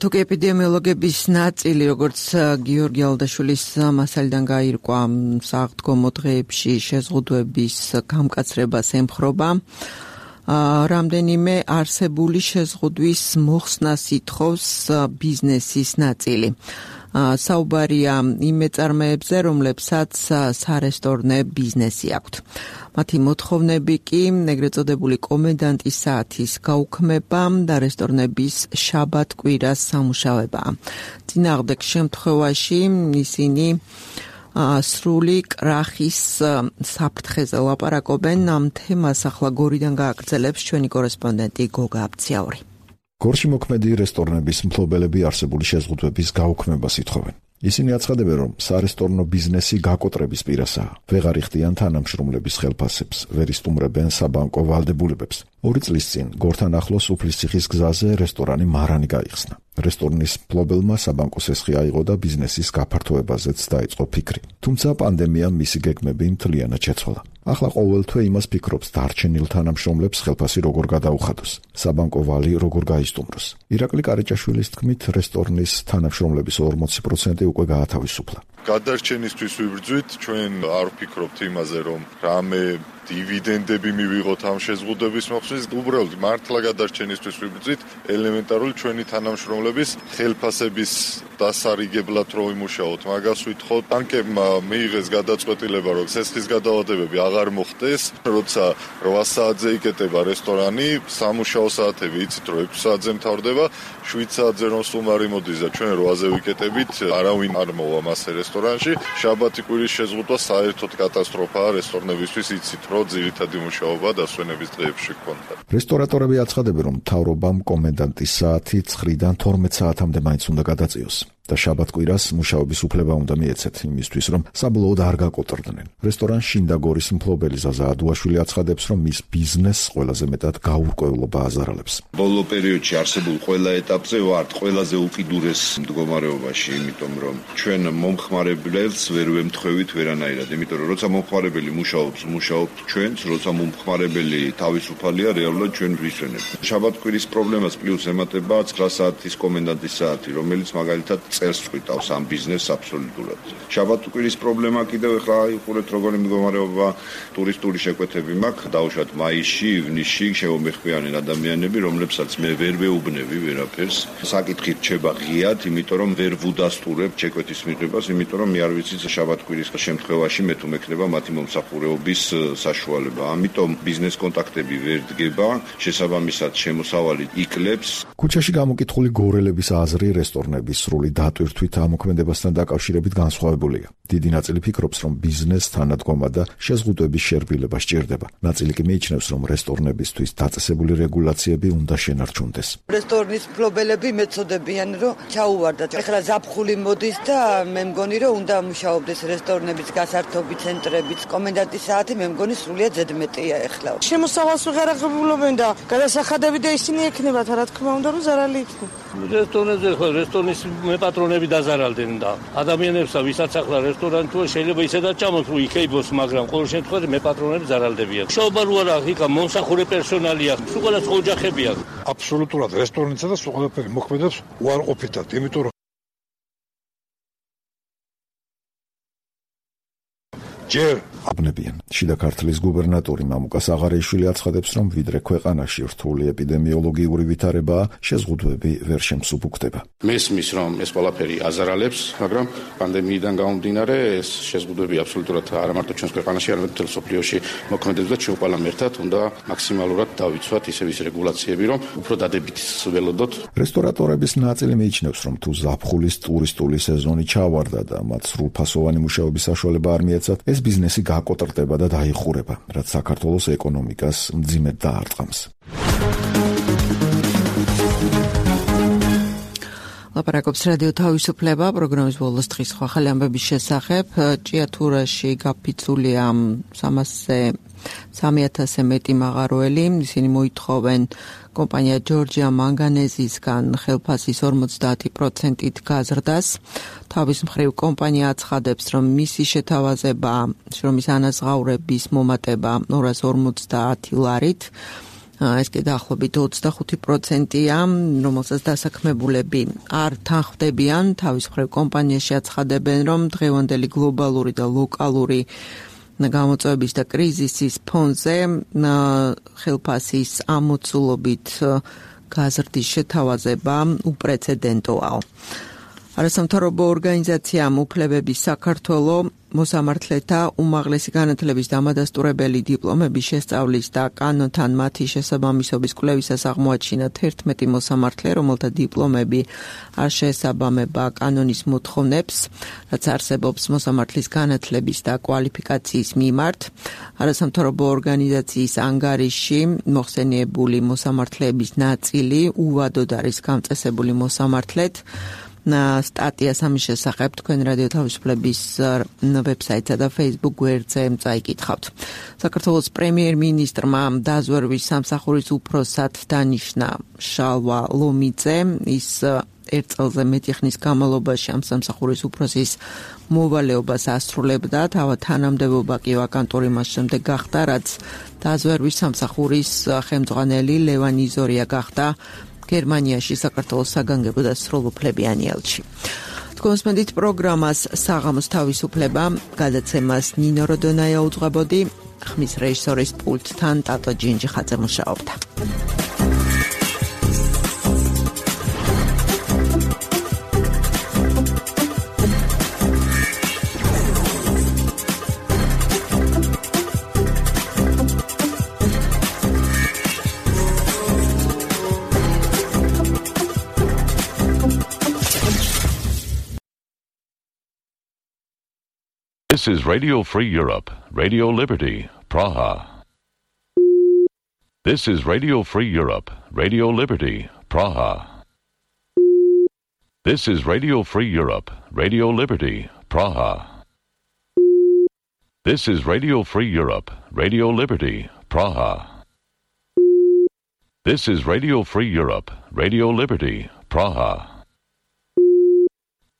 თუკი ეპიდემიოლოგების ნაწილი, როგორც გიორგი ალდაშვილის მასალიდან გაირკვა, სააღდგომო დღეებში შეზღუდვების გამკაცრებას ემხრობა, რამდენიმე არსებული შეზღუდვის მოხსნას ითხოვს ბიზნესის ნაწილი. საუბარია იმ მეწარმეებზე, რომლებსაც სარესტორნე ბიზნესი აქვთ. მათი მოთხოვნები კი ეგრეთ წოდებული კომენდანტის საათის გაუქმება და რესტორნების შაბათ-კვირას სამუშაოებაა. წინააღმდეგ შემთხვევაში ისინი სრული კრახის საფრთხეზე ლაპარაკობენ. ამ თემას ახლა გორიდან გააგრძელებს ჩვენი კორესპონდენტი გოგა აბციაური.
გორში მოქმედი რესტორნების მფლობელები არსებული შეზღუდვების გაუქმებას ითხოვენ. ისინი აცხადებენ, რომ სარესტორნო ბიზნესი გაკოტრების პირასაა. ვეღარ იხდიან თანამშრომლების ხელფასებს, ვერ ისტუმრებენ საბანკო ვალდებულებებს. ორი წლის წინ გორთან ახლოს უფლისციხის გზაზე რესტორანი მარანი გაიხსნა. რესტორნის მფლობელმა საბანკო სესხი აიღო და ბიზნესის გაფართოებაზეც დაიწყო ფიქრი. თუმცა პანდემიამ მისი გეგმები მთლიანად შეცვალა. ახლა ყოველთვე იმას ფიქრობს დარჩენილ თანამშრომლებს ხელფასი როგორ გადაუხადოს, საბანკო ვალი როგორ გაისტუმროს. ირაკლი კარიჭაშვილის თქმით, რესტორნის თანამშრომლების ორმოცი პროცენტი უკვე გაათავისუფლა.
გადარჩენისთვის ვიბრძვით, ჩვენ არ ვფიქრობთ იმაზე, რომ რამე დივიდენდები მივიღოთ ამ შეზღუდვების მოხსნის, უბრალოდ მართლა გადარჩენისთვის ვიბრძვით, ელემენტარული ჩვენი თანამშრომლების ხელფასების დასარიგებლად რო იმუშაოთ, მაგას ვითხოვთ. ბანკებმა მიიღეს გადაწყვეტილება, რომ სესხის გადაავადებები აღარ მოხდეს, როცა რვა საათზე იკეტება რესტორანი, სამუშაო საათები იცით, რომ ექვსი საათზე მთავრდება, შვიდ საათზე რომ სტუმარი მოდის და ჩვენ რვაზე ვიკეტებით, არავინ არ მოვა მასე რესტორანში. შაბათი კვირის შეზღუდვა საერთოდ კატასტროფაა რესტორნებისთვის, იცით, რომ ძირითადი მუშაობა დასვენების დღეებში გქონდა.
რესტორატორები აცხადებენ, რომ მთავრობამ კომენდანტის საათი ცხრიდან თორმეტ საათამდე მაინც უნდა გადაწიოს. და შაბათ-კვირას მუშაობის უფლება უნდა მიეცეთ იმისთვის, რომ საბოლოოდ არ გაკოტრდნენ. რესტორან შინდაგორის მფლობელი ზაზა ადუაშვილი აცხადებს, რომ მის ბიზნესს ყველაზე მეტად გაურკვევლობა აზარალებს.
ბოლო პერიოდში არსებულ ყველა ეტაპზე ვართ ყველაზე უკიდურეს მდგომარეობაში, იმიტომ რომ ჩვენ მომხმარებელს ვერ ვემთხვევით ვერანაირად, იმიტომ რომ როცა მომხმარებელი მუშაობს, მუშაობთ ჩვენც, როცა მომხმარებელი თავისუფალია, რეალურად ჩვენ ვისვენებთ. შაბათ-კვირის პრობლემას პლუს ემატება ცხრა საათის კომენდანტის საათი, რომელიც მაგალითად წერს წვითავს ამ ბიზნესს აბსოლუტურად. შაბათ-კვირის პრობლემა კიდევ ახლა იყურეთ როგორი მდგომარეობა ტურისტული შეკვეთები მაქვს. დაუშვათ მაისში, ივნისში შემომეხმიანენ ადამიანები, რომლებსაც მე ვერ ვეუბნები ვერაფერს. საკითხი რჩება ღიად, იმიტომ რომ ვერ ვუდასტურებ შეკვეთის მიღებას, იმიტომ რომ მე არ ვიცი შაბათ-კვირის შემთხვევაში მე თუ მექნება მათი მომსახურების საშუალება. ამიტომ ბიზნეს კონტაქტები ვერ დგება, შესაბამისად შემოსავალი იკლებს.
ქუჩაში გამოკითხული გორელების აზრი რესტორნების სრული დატვირთვით ამოქმედებასთან დაკავშირებით განსხვავებულია. დიდი ნაწილი ფიქრობს, რომ ბიზნეს თანადგომა და შეზღუდვების შერბილება სჭირდება. ნაწილი კი მიიჩნევს, რომ რესტორნებისთვის დაწესებული რეგულაციები უნდა შენარჩუნდეს.
რესტორნის მფლობელები მეწოდებიან, რომ ჩაუვარდათ. ეხლა ზაფხული მოდის და მე მგონი, რომ უნდა მუშაობდეს რესტორნების გასართობი ცენტრებიც. კომენდანტის საათი მე მგონი სრულიად ზედმეტია ეხლა.
შემოსავალს ვეღარ აღებულობენ და გადასახადები და ისინი ექნებათ, რა თქმა უნდა, რომ ზარალი იქნება.
რესტორნებზე ხო რესტორნის მეპატრონები დაზარალდნენ და ადამიანებსა ვისაც ახლა რესტორანი თუ შეიძლება ისედაც ჩამოს რომ იქეიბოს, მაგრამ ყოველ შემთხვევაში მეპატრონები ზარალდებიან. შოობა რო არა, იქა მომსახურე პერსონალია, სულ ყველას ოჯახებია.
აბსოლუტურად რესტორნისა და სულ ყველაფერი მოქმედებს უარყოფითად, იმიტომ რომ ჯერ
აბნებიან. შიდა ქართლის გუბერნატორი მამუკა საღარეიშვილი აცხადებს, რომ ვიდრე ქვეყანაში რთული ეპიდემიოლოგიური ვითარებაა, შეზღუდვები ვერ შემსუბუქდება.
მესმის, რომ ეს ყველაფერი აზარალებს, მაგრამ პანდემიიდან გამომდინარე ეს შეზღუდვები აბსოლუტურად არა მარტო ჩვენს ქვეყანაში, არამედ მთელ მსოფლიოში მოქმედებს და ჩვენ ყველამ ერთად უნდა მაქსიმალურად დავიცვათ ისევ ის რეგულაციები, რომ უფრო დადებით ველოდოთ.
რესტორატორების ნაწილი მიიჩნევს, რომ თუ ზაფხულის ტურისტული სეზონი ჩავარდა და მათ სრულფასოვანი მუშაობის საშუალება არ მიეცათ, ეს ბიზნესი გაკოტრდება და დაიხურება, რაც საქართველოს ეკონომიკას მძიმედ დაარტყამს.
ლაპარაკობს რადიო თავისუფლება, პროგრამის ბოლოს დღის სხვა ხელი ამბების შესახებ. ჭიათურაში გაფიცულია სამასზე სამი ათასზე მეტი მაღაროელი. ისინი მოითხოვენ კომპანია ჯორჯია მანგანეზისგან ხელფასის ორმოცდაათი პროცენტით გაზრდას. თავის მხრივ კომპანია აცხადებს, რომ მისი შეთავაზება, შრომის ანაზღაურების მომატება ორას ორმოცდაათი ლარით. ეს კი დაახლოებით ოცდახუთი პროცენტია, რომელსაც დასაქმებულები არ თანხმდებიან. თავის მხრივ კომპანიაში აცხადებენ, რომ დღევანდელი გლობალური და ლოკალური გამოწვევების და კრიზისის ფონზე ხელფასის ამოცულობით გაზრდის შეთავაზება უპრეცედენტოა. არასამთავრობო ორგანიზაციამ უფლებების საქართველო მოსამართლეთა უმაღლესი განათლების დამადასტურებელი დიპლომების შესწავლის და კანონთან მათი შესაბამისობის კვლევისას აღმოაჩინა თერთმეტი მოსამართლე, რომელთა დიპლომები არ შეესაბამება კანონის მოთხოვნებს, რაც არსებობს მოსამართლის განათლების და კვალიფიკაციის მიმართ. არასამთავრობო ორგანიზაციის ანგარიში მოხსენიებული მოსამართლეების ნაწილი უვადოდ არის გამწესებული მოსამართლეთ. სტატიას ამის შესახებ თქვენ რადიო თავისუფლების ვებსაიტსა და Facebook გვერდზე წაიკითხავთ. საქართველოს პრემიერ-მინისტრმა დაზვერვის სამსახურის უფროსად დანიშნა შალვა ლომიძე. ის ერთ წელზე მეტი ხნის განმავლობაში ამ სამსახურის უფროსის მოვალეობას ასრულებდა. თავად თანამდებობა კი ვაკანტური მას შემდეგ გახდა, რაც დაზვერვის სამსახურის ხელმძღვანელი ლევან იზორია გახდა გერმანიაში საქართველოს საგანგებო და სრულუფლებიანი ელჩი. თქვენსმენდით პროგრამას საღამოს თავისუფლება, გადაცემას ნინო როდონაია უძღვებოდი, ხმის რეჟისორის პულტთან ტატო ჯინჯიხაძე მუშაობდა.
This is Radio Free Europe, Radio Liberty, Praha. This is Radio Free Europe, Radio Liberty, Praha. This is Radio Free Europe, Radio Liberty, Praha. This is Radio Free Europe, Radio Liberty, Praha. This is Radio Free Europe, Radio Liberty, Praha.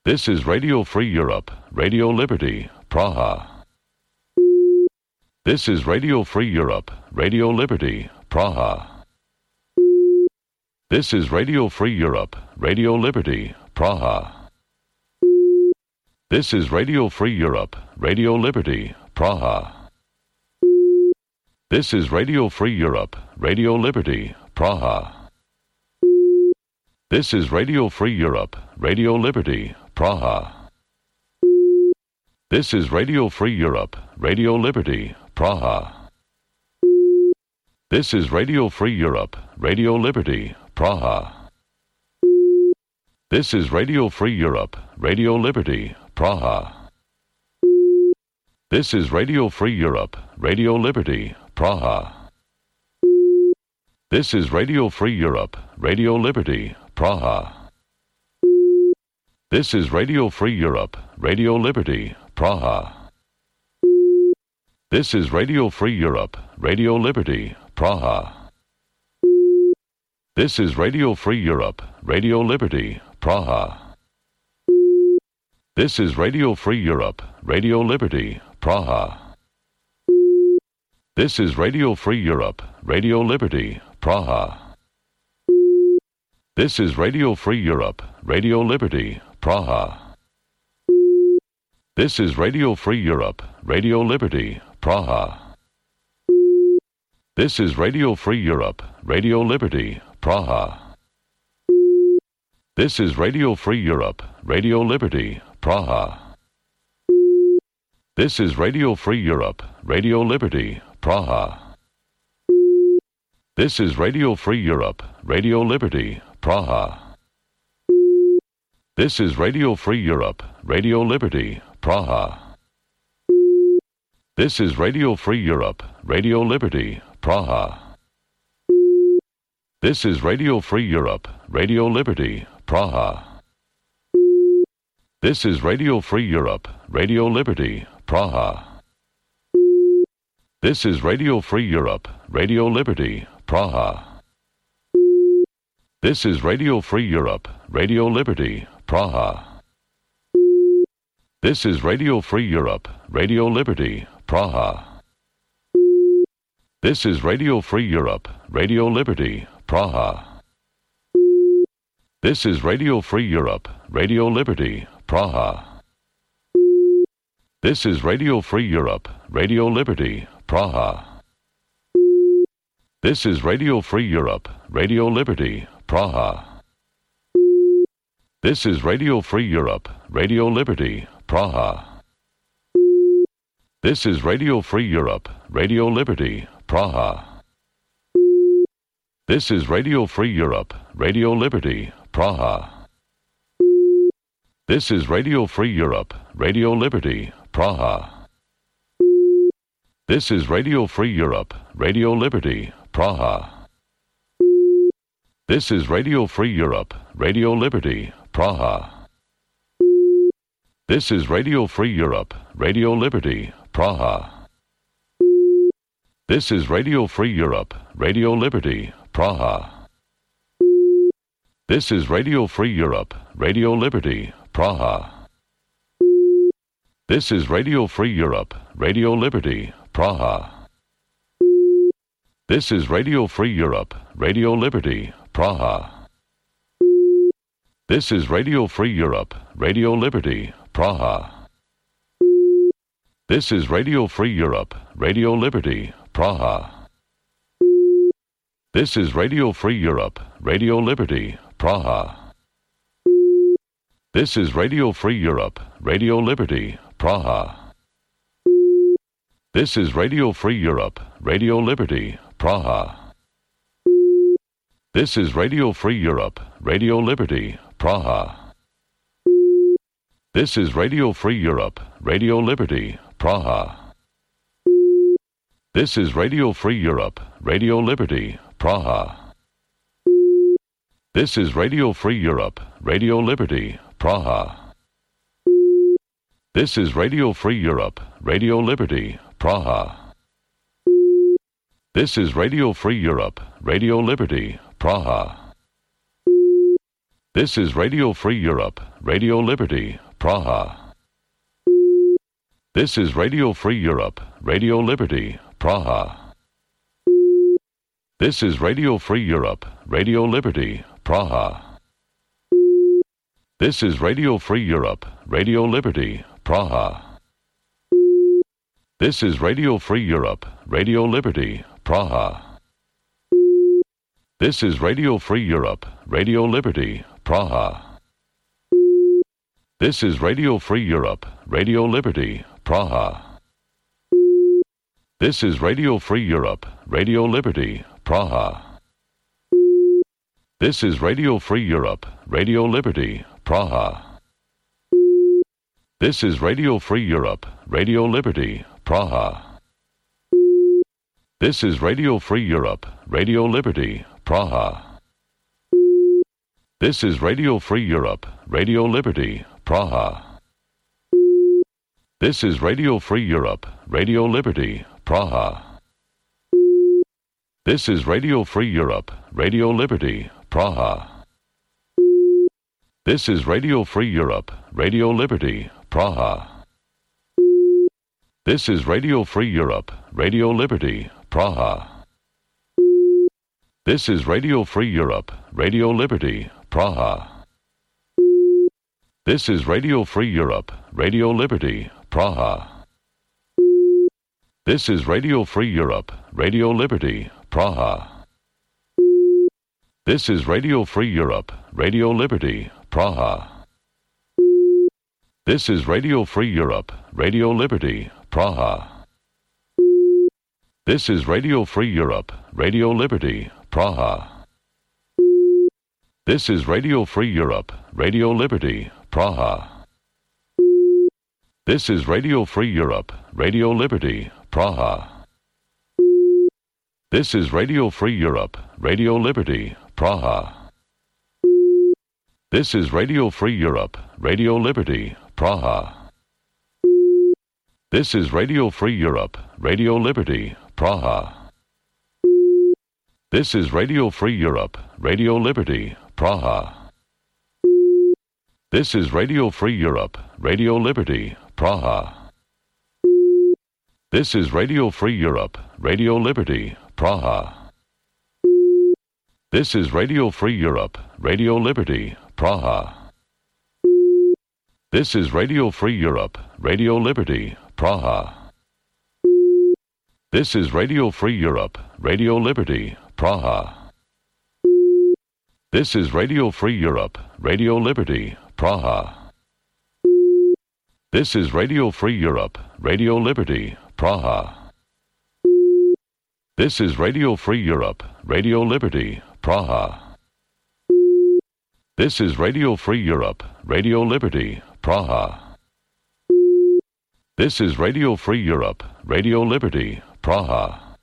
This is Radio Free Europe, Radio Liberty, Praha. This is Radio Free Europe, Radio Liberty, Praha. This is Radio Free Europe, Radio Liberty, Praha. This is Radio Free Europe, Radio Liberty, Praha. This is Radio Free Europe, Radio Liberty, Praha. This is Radio Free Europe, Radio Liberty, Praha. This is Radio Free Europe, Radio Liberty, Praha. This is Radio Free Europe, Radio Liberty, Praha. This is Radio Free Europe, Radio Liberty, Praha. This is Radio Free Europe, Radio Liberty, Praha. This is Radio Free Europe, Radio Liberty, Praha. This is Radio Free Europe, Radio Liberty, Praha. This is Radio Free Europe, Radio Liberty, Praha. This is Radio Free Europe, Radio Liberty, Praha. This is Radio Free Europe, Radio Liberty, Praha. This is Radio Free Europe, Radio Liberty, Praha. This is Radio Free Europe, Radio Liberty, Praha. This is Radio Free Europe, Radio Liberty, Praha. This is Radio Free Europe, Radio Liberty, Praha. This is Radio Free Europe, Radio Liberty, Praha. This is Radio Free Europe, Radio Liberty, Praha. This is Radio Free Europe, Radio Liberty, Praha. This is Radio Free Europe, Radio Liberty, Praha. This is Radio Free Europe, Radio Liberty, Praha. This is Radio Free Europe, Radio Liberty, Praha. This is Radio Free Europe, Radio Liberty, Praha. This is Radio Free Europe, Radio Liberty, Praha. This is Radio Free Europe, Radio Liberty, Praha. This is Radio Free Europe, Radio Liberty, Praha. This is Radio Free Europe, Radio Liberty, Praha. This is Radio Free Europe, Radio Liberty, Praha. This is Radio Free Europe, Radio Liberty, Praha. This is Radio Free Europe, Radio Liberty, Praha. This is Radio Free Europe, Radio Liberty, Praha. This is Radio Free Europe, Radio Liberty, Praha. This is Radio Free Europe, Radio Liberty, Praha. This is Radio Free Europe, Radio Liberty, Praha. This is Radio Free Europe, Radio Liberty, Praha. This is Radio Free Europe, Radio Liberty, Praha. This is Radio Free Europe, Radio Liberty, Praha. This is Radio Free Europe, Radio Liberty, Praha. This is Radio Free Europe, Radio Liberty, Praha. This is Radio Free Europe, Radio Liberty, Praha. This is Radio Free Europe, Radio Liberty, Praha. This is Radio Free Europe, Radio Liberty, Praha. This is Radio Free Europe, Radio Liberty, Praha. This is Radio Free Europe, Radio Liberty, Praha. This is Radio Free Europe, Radio Liberty, Praha. This is Radio Free Europe, Radio Liberty, Praha. This is Radio Free Europe, Radio Liberty, Praha. This is Radio Free Europe, Radio Liberty, Praha. This is Radio Free Europe, Radio Liberty, Praha. This is Radio Free Europe, Radio Liberty, Praha. This is Radio Free Europe, Radio Liberty, Praha. This is Radio Free Europe, Radio Liberty, Praha. This is Radio Free Europe, Radio Liberty, Praha. This is Radio Free Europe, Radio Liberty, Praha. This is Radio Free Europe, Radio Liberty, Praha. This is Radio Free Europe, Radio Liberty, Praha. This is Radio Free Europe, Radio Liberty, Praha. This is Radio Free Europe, Radio Liberty, Praha. This is Radio Free Europe, Radio Liberty, Praha. This is Radio Free Europe, Radio Liberty, Praha. This is Radio Free Europe, Radio Liberty, Praha. This is Radio Free Europe, Radio Liberty, Praha. This is Radio Free Europe, Radio Liberty, Praha. This is Radio Free Europe, Radio Liberty, Praha. This is Radio Free Europe, Radio Liberty, Praha. This is Radio Free Europe, Radio Liberty, Praha. This is Radio Free Europe, Radio Liberty, Praha. This is Radio Free Europe, Radio Liberty, Praha. This is Radio Free Europe, Radio Liberty, Praha. This is Radio Free Europe, Radio Liberty, Praha. This is Radio Free Europe, Radio Liberty, Praha. This is Radio Free Europe, Radio Liberty, Praha. This is Radio Free Europe, Radio Liberty, Praha. This is Radio Free Europe, Radio Liberty, Praha. This is Radio Free Europe, Radio Liberty, Praha. This is Radio Free Europe, Radio Liberty, Praha. This is Radio Free Europe, Radio Liberty, Praha. This is Radio Free Europe, Radio Liberty, Praha. This is Radio Free Europe, Radio Liberty, Praha. This is Radio Free Europe, Radio Liberty, Praha. This is Radio Free Europe, Radio Liberty, Praha. This is Radio Free Europe, Radio Liberty, Praha. This is Radio Free Europe, Radio Liberty, Praha. This is Radio Free Europe, Radio Liberty, Praha. This is Radio Free Europe, Radio Liberty, Praha. This is Radio Free Europe, Radio Liberty, Praha. This is Radio Free Europe, Radio Liberty, Praha. This is Radio Free Europe, Radio Liberty, Praha. This is Radio Free Europe, Radio Liberty, Praha. This is Radio Free Europe, Radio Liberty, Praha.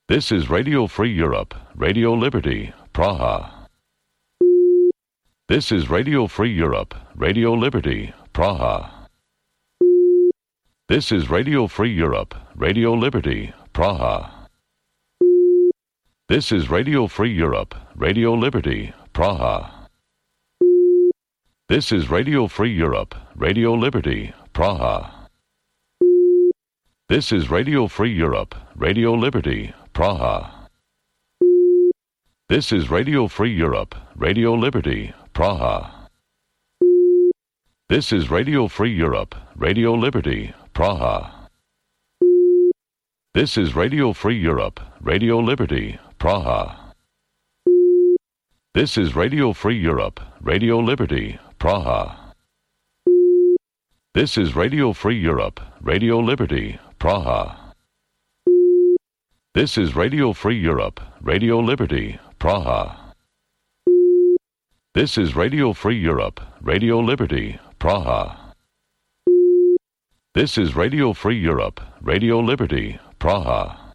This is Radio Free Europe, Radio Liberty, Praha. This is Radio Free Europe, Radio Liberty, Praha. This is Radio Free Europe, Radio Liberty, Praha. This is Radio Free Europe, Radio Liberty, Praha. This is Radio Free Europe, Radio Liberty, Praha. This is Radio Free Europe, Radio Liberty, Praha. This is Radio Free Europe, Radio Liberty, Praha. This is Radio Free Europe, Radio Liberty, Praha. This is Radio Free Europe, Radio Liberty, Praha. This is Radio Free Europe, Radio Liberty, Praha. This is Radio Free Europe, Radio Liberty, Praha. This is Radio Free Europe, Radio Liberty, Praha. This is Radio Free Europe, Radio Liberty, Praha. This is Radio Free Europe, Radio Liberty, Praha.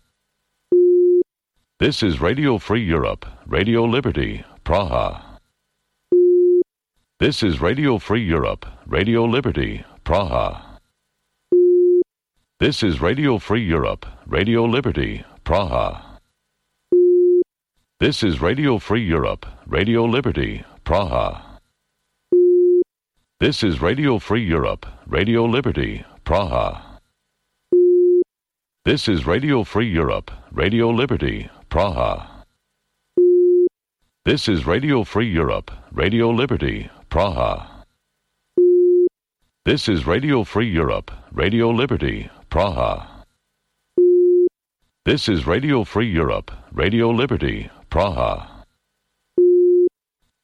This is Radio Free Europe, Radio Liberty, Praha. This is Radio Free Europe, Radio Liberty, Praha. This is Radio Free Europe, Radio Liberty, Praha. This is Radio Free Europe, Radio Liberty, Praha. This is Radio Free Europe, Radio Liberty, Praha. This is Radio Free Europe, Radio Liberty, Praha. This is Radio Free Europe, Radio Liberty, Praha. This is Radio Free Europe, Radio Liberty, Praha. This is Radio Free Europe, Radio Liberty, Praha.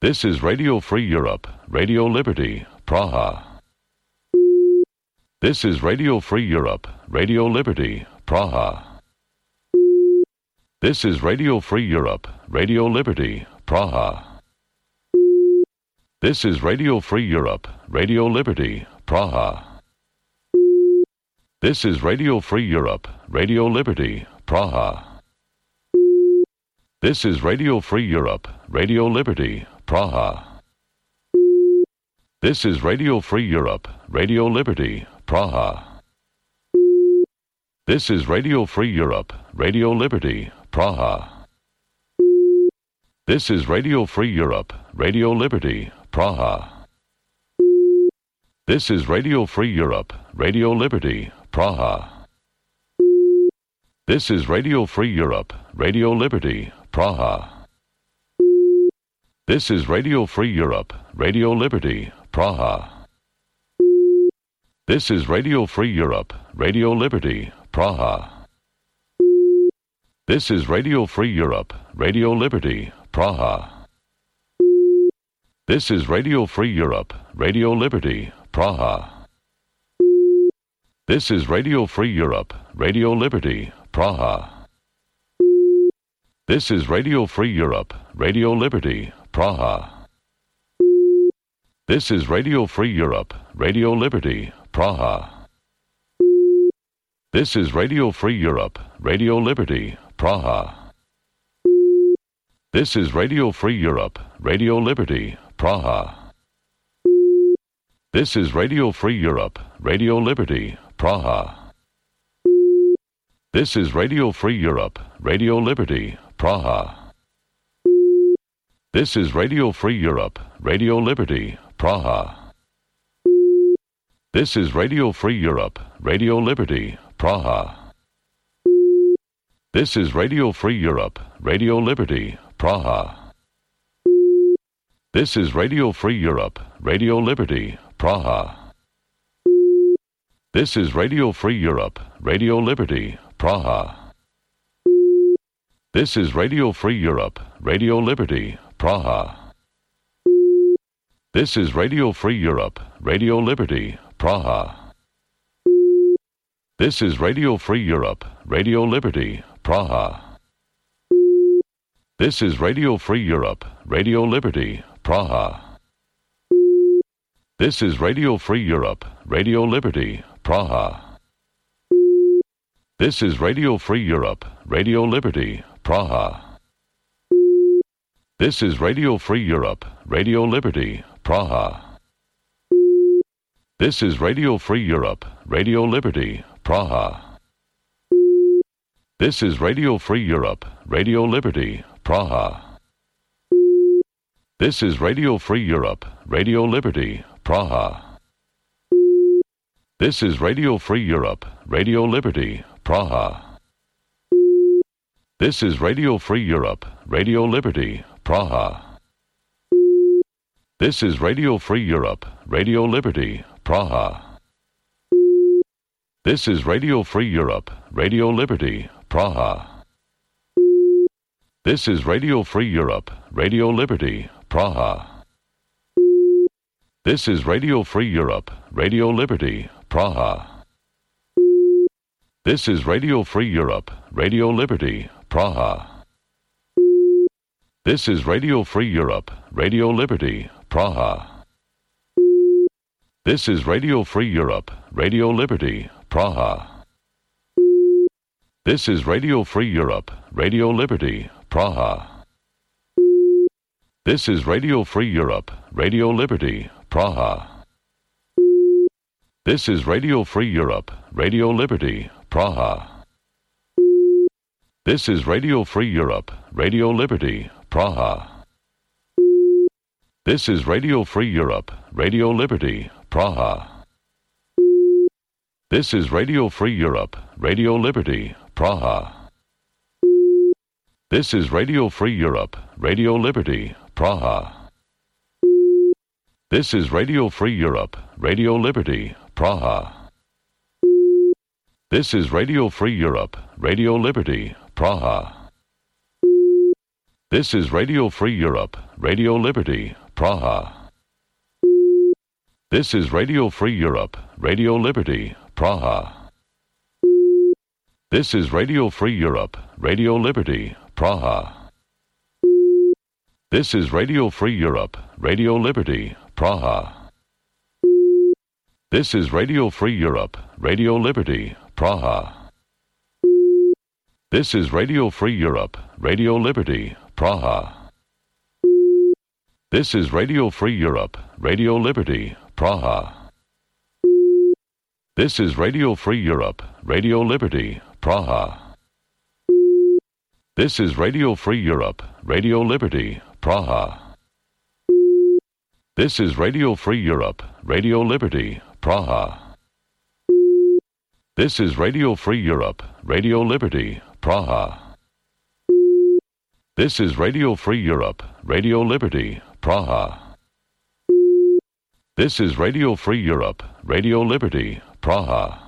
This is Radio Free Europe, Radio Liberty, Praha. This is Radio Free Europe, Radio Liberty, Praha. This is Radio Free Europe, Radio Liberty, Praha. This is Radio Free Europe, Radio Liberty, Praha. This is Radio Free Europe, Radio Liberty, Praha. This is Radio Free Europe, Radio Liberty, Praha. This is Radio Free Europe, Radio Liberty, Praha. This is Radio Free Europe, Radio Liberty, Praha. This is Radio Free Europe, Radio Liberty, Praha. This is Radio Free Europe, Radio Liberty, Praha. This is Radio Free Europe, Radio Liberty, Praha. This is Radio Free Europe, Radio Liberty, Praha. This is Radio Free Europe, Radio Liberty, Praha. This is Radio Free Europe, Radio Liberty, Praha. This is Radio Free Europe, Radio Liberty, Praha. This is Radio Free Europe, Radio Liberty, Praha. This is Radio Free Europe, Radio Liberty, Praha. This is Radio Free Europe, Radio Liberty, Praha. This is Radio Free Europe, Radio Liberty, Praha. This is Radio Free Europe, Radio Liberty, Praha. This is Radio Free Europe, Radio Liberty, Praha. This is Radio Free Europe, Radio Liberty, Praha. This is Radio Free Europe, Radio Liberty, Praha. This is Radio Free Europe, Radio Liberty, Praha. This is Radio Free Europe, Radio Liberty, Praha. This is Radio Free Europe, Radio Liberty, Praha. This is Radio Free Europe, Radio Liberty, Praha. This is Radio Free Europe, Radio Liberty, Praha. This is Radio Free Europe, Radio Liberty, Praha. This is Radio Free Europe, Radio Liberty, Praha. This is Radio Free Europe, Radio Liberty, Praha. This is Radio Free Europe, Radio Liberty, Praha. This is Radio Free Europe, Radio Liberty, Praha. This is Radio Free Europe, Radio Liberty, Praha. This is Radio Free Europe, Radio Liberty, Praha. This is Radio Free Europe, Radio Liberty, Praha. This is Radio Free Europe, Radio Liberty, Praha. This is Radio Free Europe, Radio Liberty, Praha. This is Radio Free Europe, Radio Liberty, Praha. This is Radio Free Europe, Radio Liberty, Praha. This is Radio Free Europe, Radio Liberty, Praha. This is Radio Free Europe, Radio Liberty, Praha. This is Radio Free Europe, Radio Liberty, Praha. This is Radio Free Europe, Radio Liberty, Praha. This is Radio Free Europe, Radio Liberty, Praha. This is Radio Free Europe, Radio Liberty, Praha. This is Radio Free Europe, Radio Liberty, Praha. This is Radio Free Europe, Radio Liberty, Praha. This is Radio Free Europe, Radio Liberty, Praha. This is Radio Free Europe, Radio Liberty, Praha. This is Radio Free Europe, Radio Liberty, Praha. This is Radio Free Europe, Radio Liberty, Praha. This is Radio Free Europe, Radio Liberty, Praha. This is Radio Free Europe, Radio Liberty, Praha. This is Radio Free Europe, Radio Liberty, Praha. This is Radio Free Europe, Radio Liberty, Praha. This is Radio Free Europe, Radio Liberty, Praha. This is Radio Free Europe, Radio Liberty, Praha. This is Radio Free Europe, Radio Liberty, Praha. This is Radio Free Europe, Radio Liberty, Praha. This is Radio Free Europe, Radio Liberty, Praha. This is Radio Free Europe, Radio Liberty, Praha. This is Radio Free Europe, Radio Liberty, Praha. This is Radio Free Europe, Radio Liberty, Praha. This is Radio Free Europe, Radio Liberty, Praha. This is Radio Free Europe, Radio Liberty, Praha. This is Radio Free Europe, Radio Liberty, Praha. This is Radio Free Europe, Radio Liberty, Praha.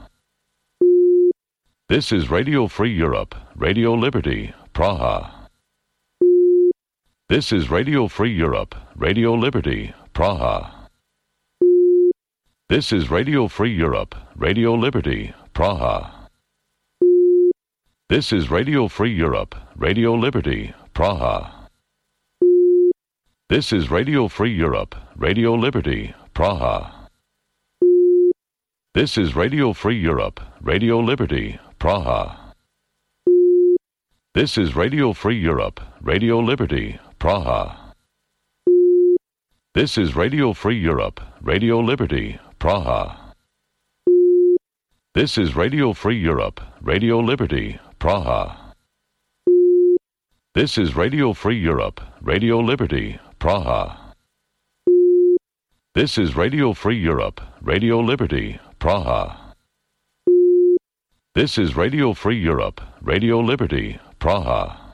This is Radio Free Europe, Radio Liberty, Praha. This is Radio Free Europe, Radio Liberty, Praha. This is Radio Free Europe, Radio Liberty, Praha. This is Radio Free Europe, Radio Liberty, Praha. This is Radio Free Europe, Radio Liberty, Praha. This is Radio Free Europe, Radio Liberty, Praha. This is Radio Free Europe, Radio Liberty, Praha. This is Radio Free Europe, Radio Liberty, Praha. This is Radio Free Europe, Radio Liberty, Praha. This is Radio Free Europe, Radio Liberty, Praha. This is Radio Free Europe, Radio Liberty, Praha. This is Radio Free Europe, Radio Liberty, Praha.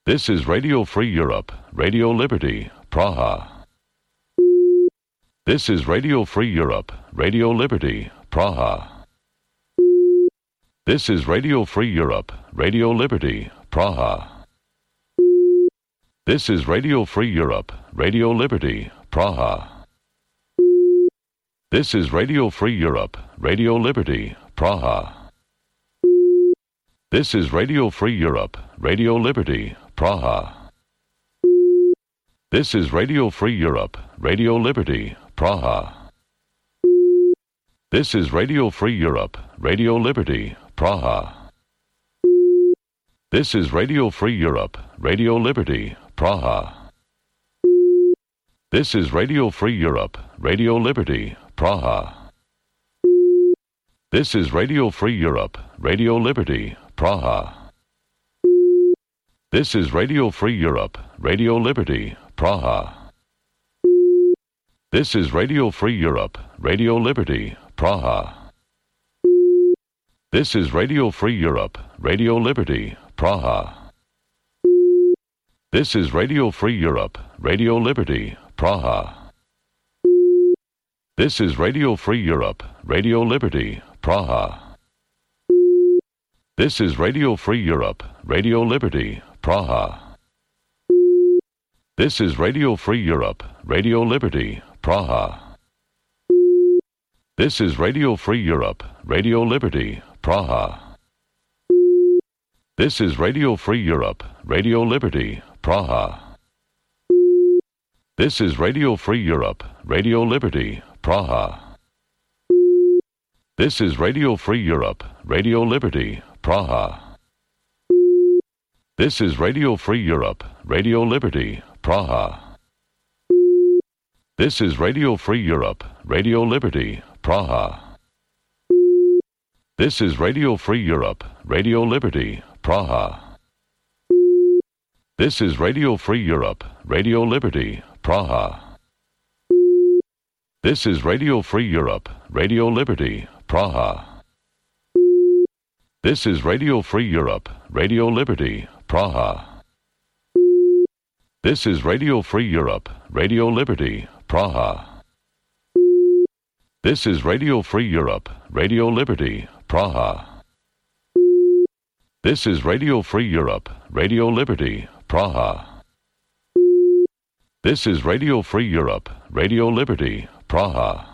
This is Radio Free Europe, Radio Liberty, Praha. This is Radio Free Europe, Radio Liberty, Praha. This is Radio Free Europe, Radio Liberty, Praha. This is Radio Free Europe, Radio Liberty, Praha. This is Radio Free Europe, Radio Liberty, Praha. This is Radio Free Europe, Radio Liberty, Praha. This is Radio Free Europe, Radio Liberty, Praha. This is Radio Free Europe, Radio Liberty, Praha. This is Radio Free Europe, Radio Liberty, Praha. This is Radio Free Europe, Radio Liberty, Praha. This is Radio Free Europe, Radio Liberty, Praha. This is Radio Free Europe, Radio Liberty, Praha. This is Radio Free Europe, Radio Liberty, Praha. This is Radio Free Europe, Radio Liberty, Praha. This is Radio Free Europe, Radio Liberty, Praha. This is Radio Free Europe, Radio Liberty, Praha. This is Radio Free Europe, Radio Liberty, Praha. This is Radio Free Europe, Radio Liberty, Praha. This is Radio Free Europe, Radio Liberty, Praha. This is Radio Free Europe, Radio Liberty, Praha. This is Radio Free Europe, Radio Liberty, Praha. This is Radio Free Europe, Radio Liberty, Praha. This is Radio Free Europe, Radio Liberty, Praha. This is Radio Free Europe, Radio Liberty, Praha. This is Radio Free Europe, Radio Liberty, Praha. This is Radio Free Europe, Radio Liberty, Praha. This is Radio Free Europe, Radio Liberty, Praha. This is Radio Free Europe, Radio Liberty, Praha. This is Radio Free Europe, Radio Liberty, Praha. This is Radio Free Europe, Radio Liberty, Praha. This is Radio Free Europe, Radio Liberty, Praha. This is Radio Free Europe, Radio Liberty, Praha.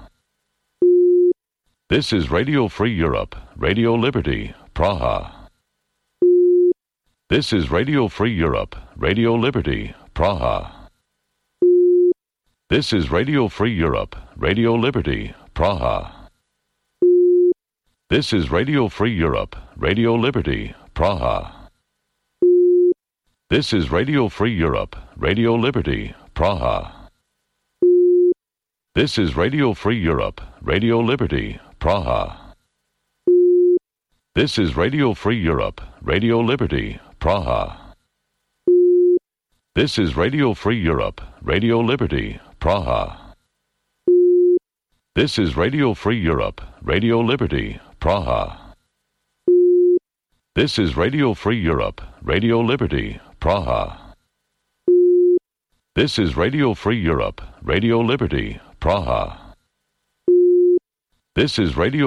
This is Radio Free Europe, Radio Liberty, Praha. This is Radio Free Europe, Radio Liberty, Praha. This is Radio Free Europe, Radio Liberty, Praha. This is Radio Free Europe, Radio Liberty, Praha. This is Radio Free Europe, Radio Liberty, Praha. This is Radio Free Europe, Radio Liberty, Praha. This is Radio Free Europe, Radio Liberty, Praha. This is Radio Free Europe, Radio Liberty, Praha. This is Radio Free Europe, Radio Liberty, Praha. This is Radio Free Europe, Radio Liberty, Praha. This is Radio Free Europe, Radio Liberty, Praha. This is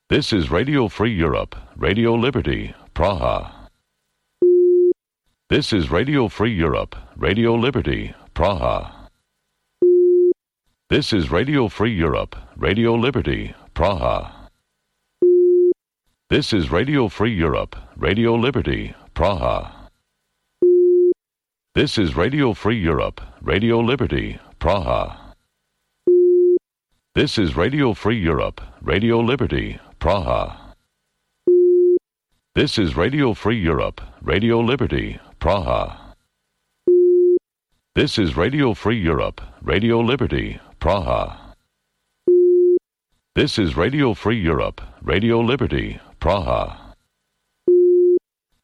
Radio Free Europe, Radio Liberty, Praha. This is Radio Free Europe, Radio Liberty, Praha. This is Radio Free Europe, Radio Liberty, Praha. This is Radio Free Europe, Radio Liberty, Praha. This is Radio Free Europe, Radio Liberty, Praha. This is Radio Free Europe, Radio Liberty, Praha. This is Radio Free Europe, Radio Liberty, Praha. This is Radio Free Europe, Radio Liberty, Praha. This is Radio Free Europe, Radio Liberty, Praha. This is Radio Free Europe, Radio Liberty, Praha.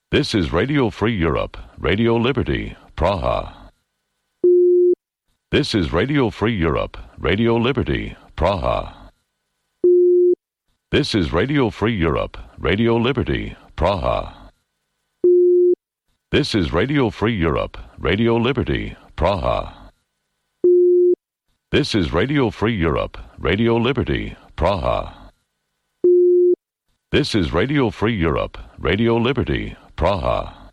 This is Radio Free Europe, Radio Liberty, Praha. This is Radio Free Europe, Radio Liberty, Praha. This is Radio Free Europe, Radio Liberty, Praha. This is Radio Free Europe, Radio Liberty, Praha. This is Radio Free Europe, Radio Liberty, Praha. This is Radio Free Europe, Radio Liberty, Praha.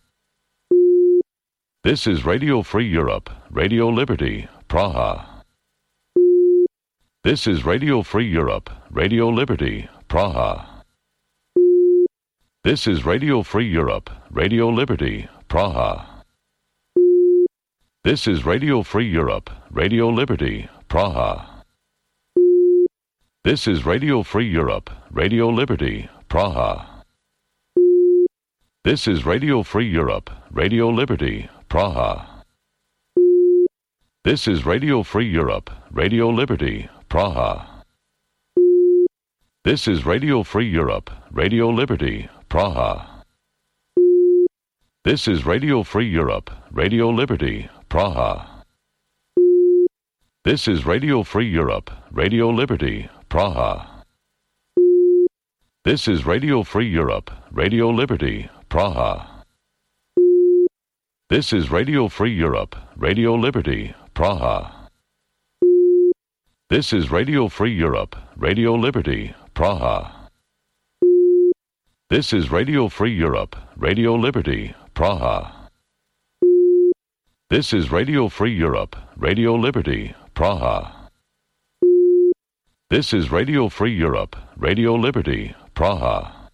This is Radio Free Europe, Radio Liberty, Praha. This is Radio Free Europe, Radio Liberty, Praha. This is Radio Free Europe, Radio Liberty, Praha. This is Radio Free Europe, Radio Liberty, Praha. This is Radio Free Europe, Radio Liberty, Praha. This is Radio Free Europe, Radio Liberty, Praha. This is Radio Free Europe, Radio Liberty, Praha. This is Radio Free Europe, Radio Liberty, Praha. This is Radio Free Europe, Radio Liberty, Praha. This is Radio Free Europe, Radio Liberty, Praha. This is Radio Free Europe, Radio Liberty, Praha. This is Radio Free Europe, Radio Liberty, Praha. This is Radio Free Europe, Radio Liberty, Praha. This is Radio Free Europe, Radio Liberty, Praha. This is Radio Free Europe, Radio Liberty, Praha. This is Radio Free Europe, Radio Liberty, Praha.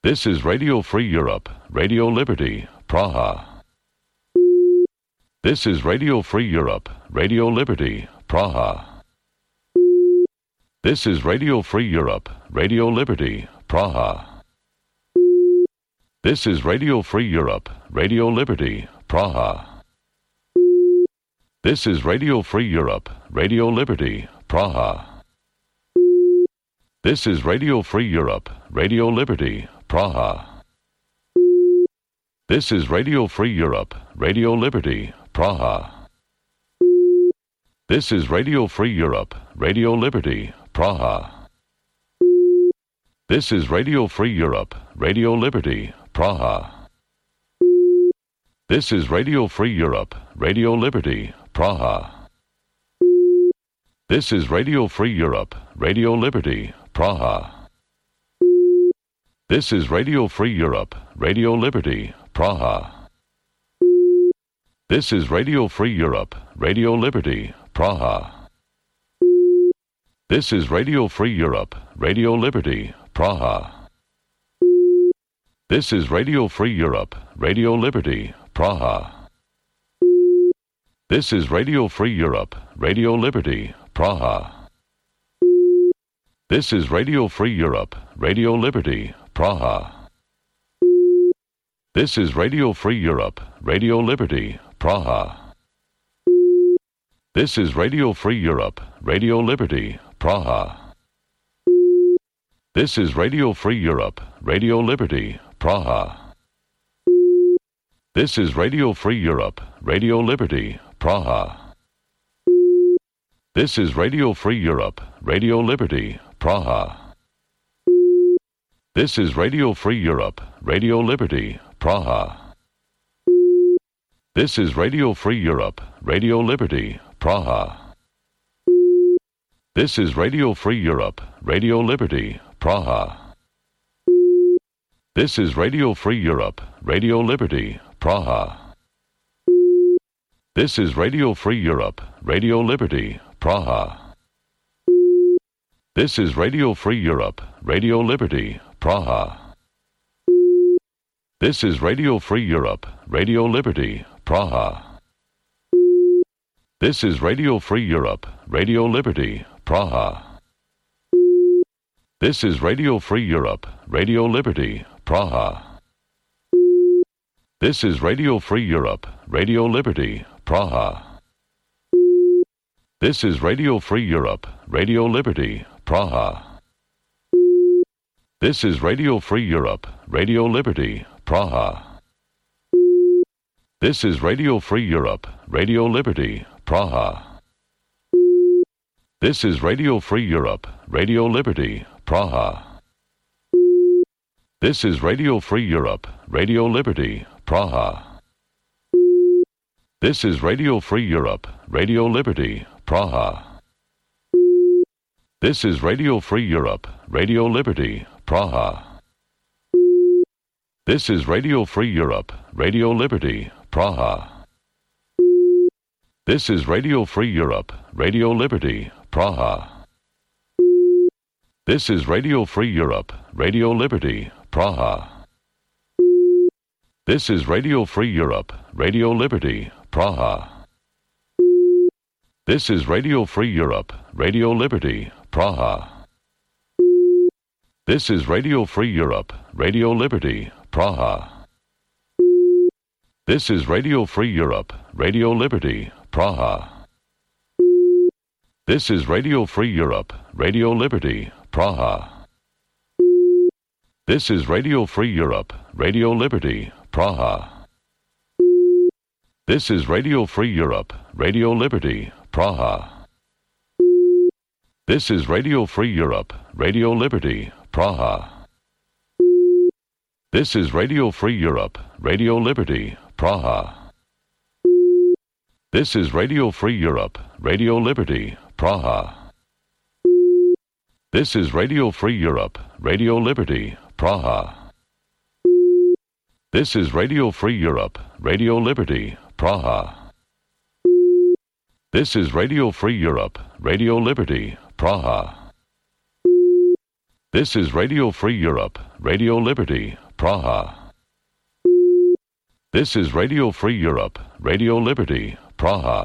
This is Radio Free Europe, Radio Liberty, Praha. This is Radio Free Europe, Radio Liberty, Praha. This is Radio Free Europe, Radio Liberty, Praha. This is Radio Free Europe, Radio Liberty, Praha. This is Radio Free Europe, Radio Liberty, Praha. This is Radio Free Europe, Radio Liberty, Praha. This is Radio Free Europe, Radio Liberty, Praha. This is Radio Free Europe, Radio Liberty, Praha. This is Radio Free Europe, Radio Liberty, Praha. This is Radio Free Europe, Radio Liberty, Praha. This is Radio Free Europe, Radio Liberty, Praha. This is Radio Free Europe, Radio Liberty, Praha. This is Radio Free Europe, Radio Liberty, Praha. This is Radio Free Europe, Radio Liberty, Praha. This is Radio Free Europe, Radio Liberty, Praha. This is Radio Free Europe, Radio Liberty, Praha. This is Radio Free Europe, Radio Liberty, Praha. This is Radio Free Europe, Radio Liberty, Praha. This is Radio Free Europe, Radio Liberty, Praha. This is Radio Free Europe, Radio Liberty, Praha. This is Radio Free Europe, Radio Liberty, Praha. This is Radio Free Europe, Radio Liberty, Praha. This is Radio Free Europe, Radio Liberty, Praha. This is Radio Free Europe, Radio Liberty, Praha. This is Radio Free Europe, Radio Liberty, Praha. This is Radio Free Europe, Radio Liberty, Praha. This is Radio Free Europe, Radio Liberty, Praha. This is Radio Free Europe, Radio Liberty, Praha. This is Radio Free Europe, Radio Liberty, Praha. This is Radio Free Europe, Radio Liberty, Praha. This is Radio Free Europe, Radio Liberty, Praha. This is Radio Free Europe, Radio Liberty, Praha. This is Radio Free Europe, Radio Liberty, Praha. This is Radio Free Europe, Radio Liberty, Praha. This is Radio Free Europe, Radio Liberty, Praha. This is Radio Free Europe, Radio Liberty, Praha. This is Radio Free Europe, Radio Liberty, Praha. This is Radio Free Europe, Radio Liberty, Praha. This is Radio Free Europe, Radio Liberty, Praha. This is Radio Free Europe, Radio Liberty, Praha. This is Radio Free Europe, Radio Liberty, Praha. This is Radio Free Europe, Radio Liberty, Praha. This is Radio Free Europe, Radio Liberty, Praha. This is Radio Free Europe, Radio Liberty, Praha. This is Radio Free Europe, Radio Liberty, Praha. This is Radio Free Europe, Radio Liberty, Praha. This is Radio Free Europe, Radio Liberty, Praha. This is Radio Free Europe, Radio Liberty, Praha. This is Radio Free Europe, Radio Liberty, Praha. This is Radio Free Europe, Radio Liberty, Praha. This is Radio Free Europe, Radio Liberty, Praha. This is Radio Free Europe, Radio Liberty, Praha. This is Radio Free Europe, Radio Liberty, Praha. This is Radio Free Europe, Radio Liberty, Praha. This is Radio Free Europe, Radio Liberty, Praha. This is Radio Free Europe, Radio Liberty, Praha. This is Radio Free Europe, Radio Liberty, Praha.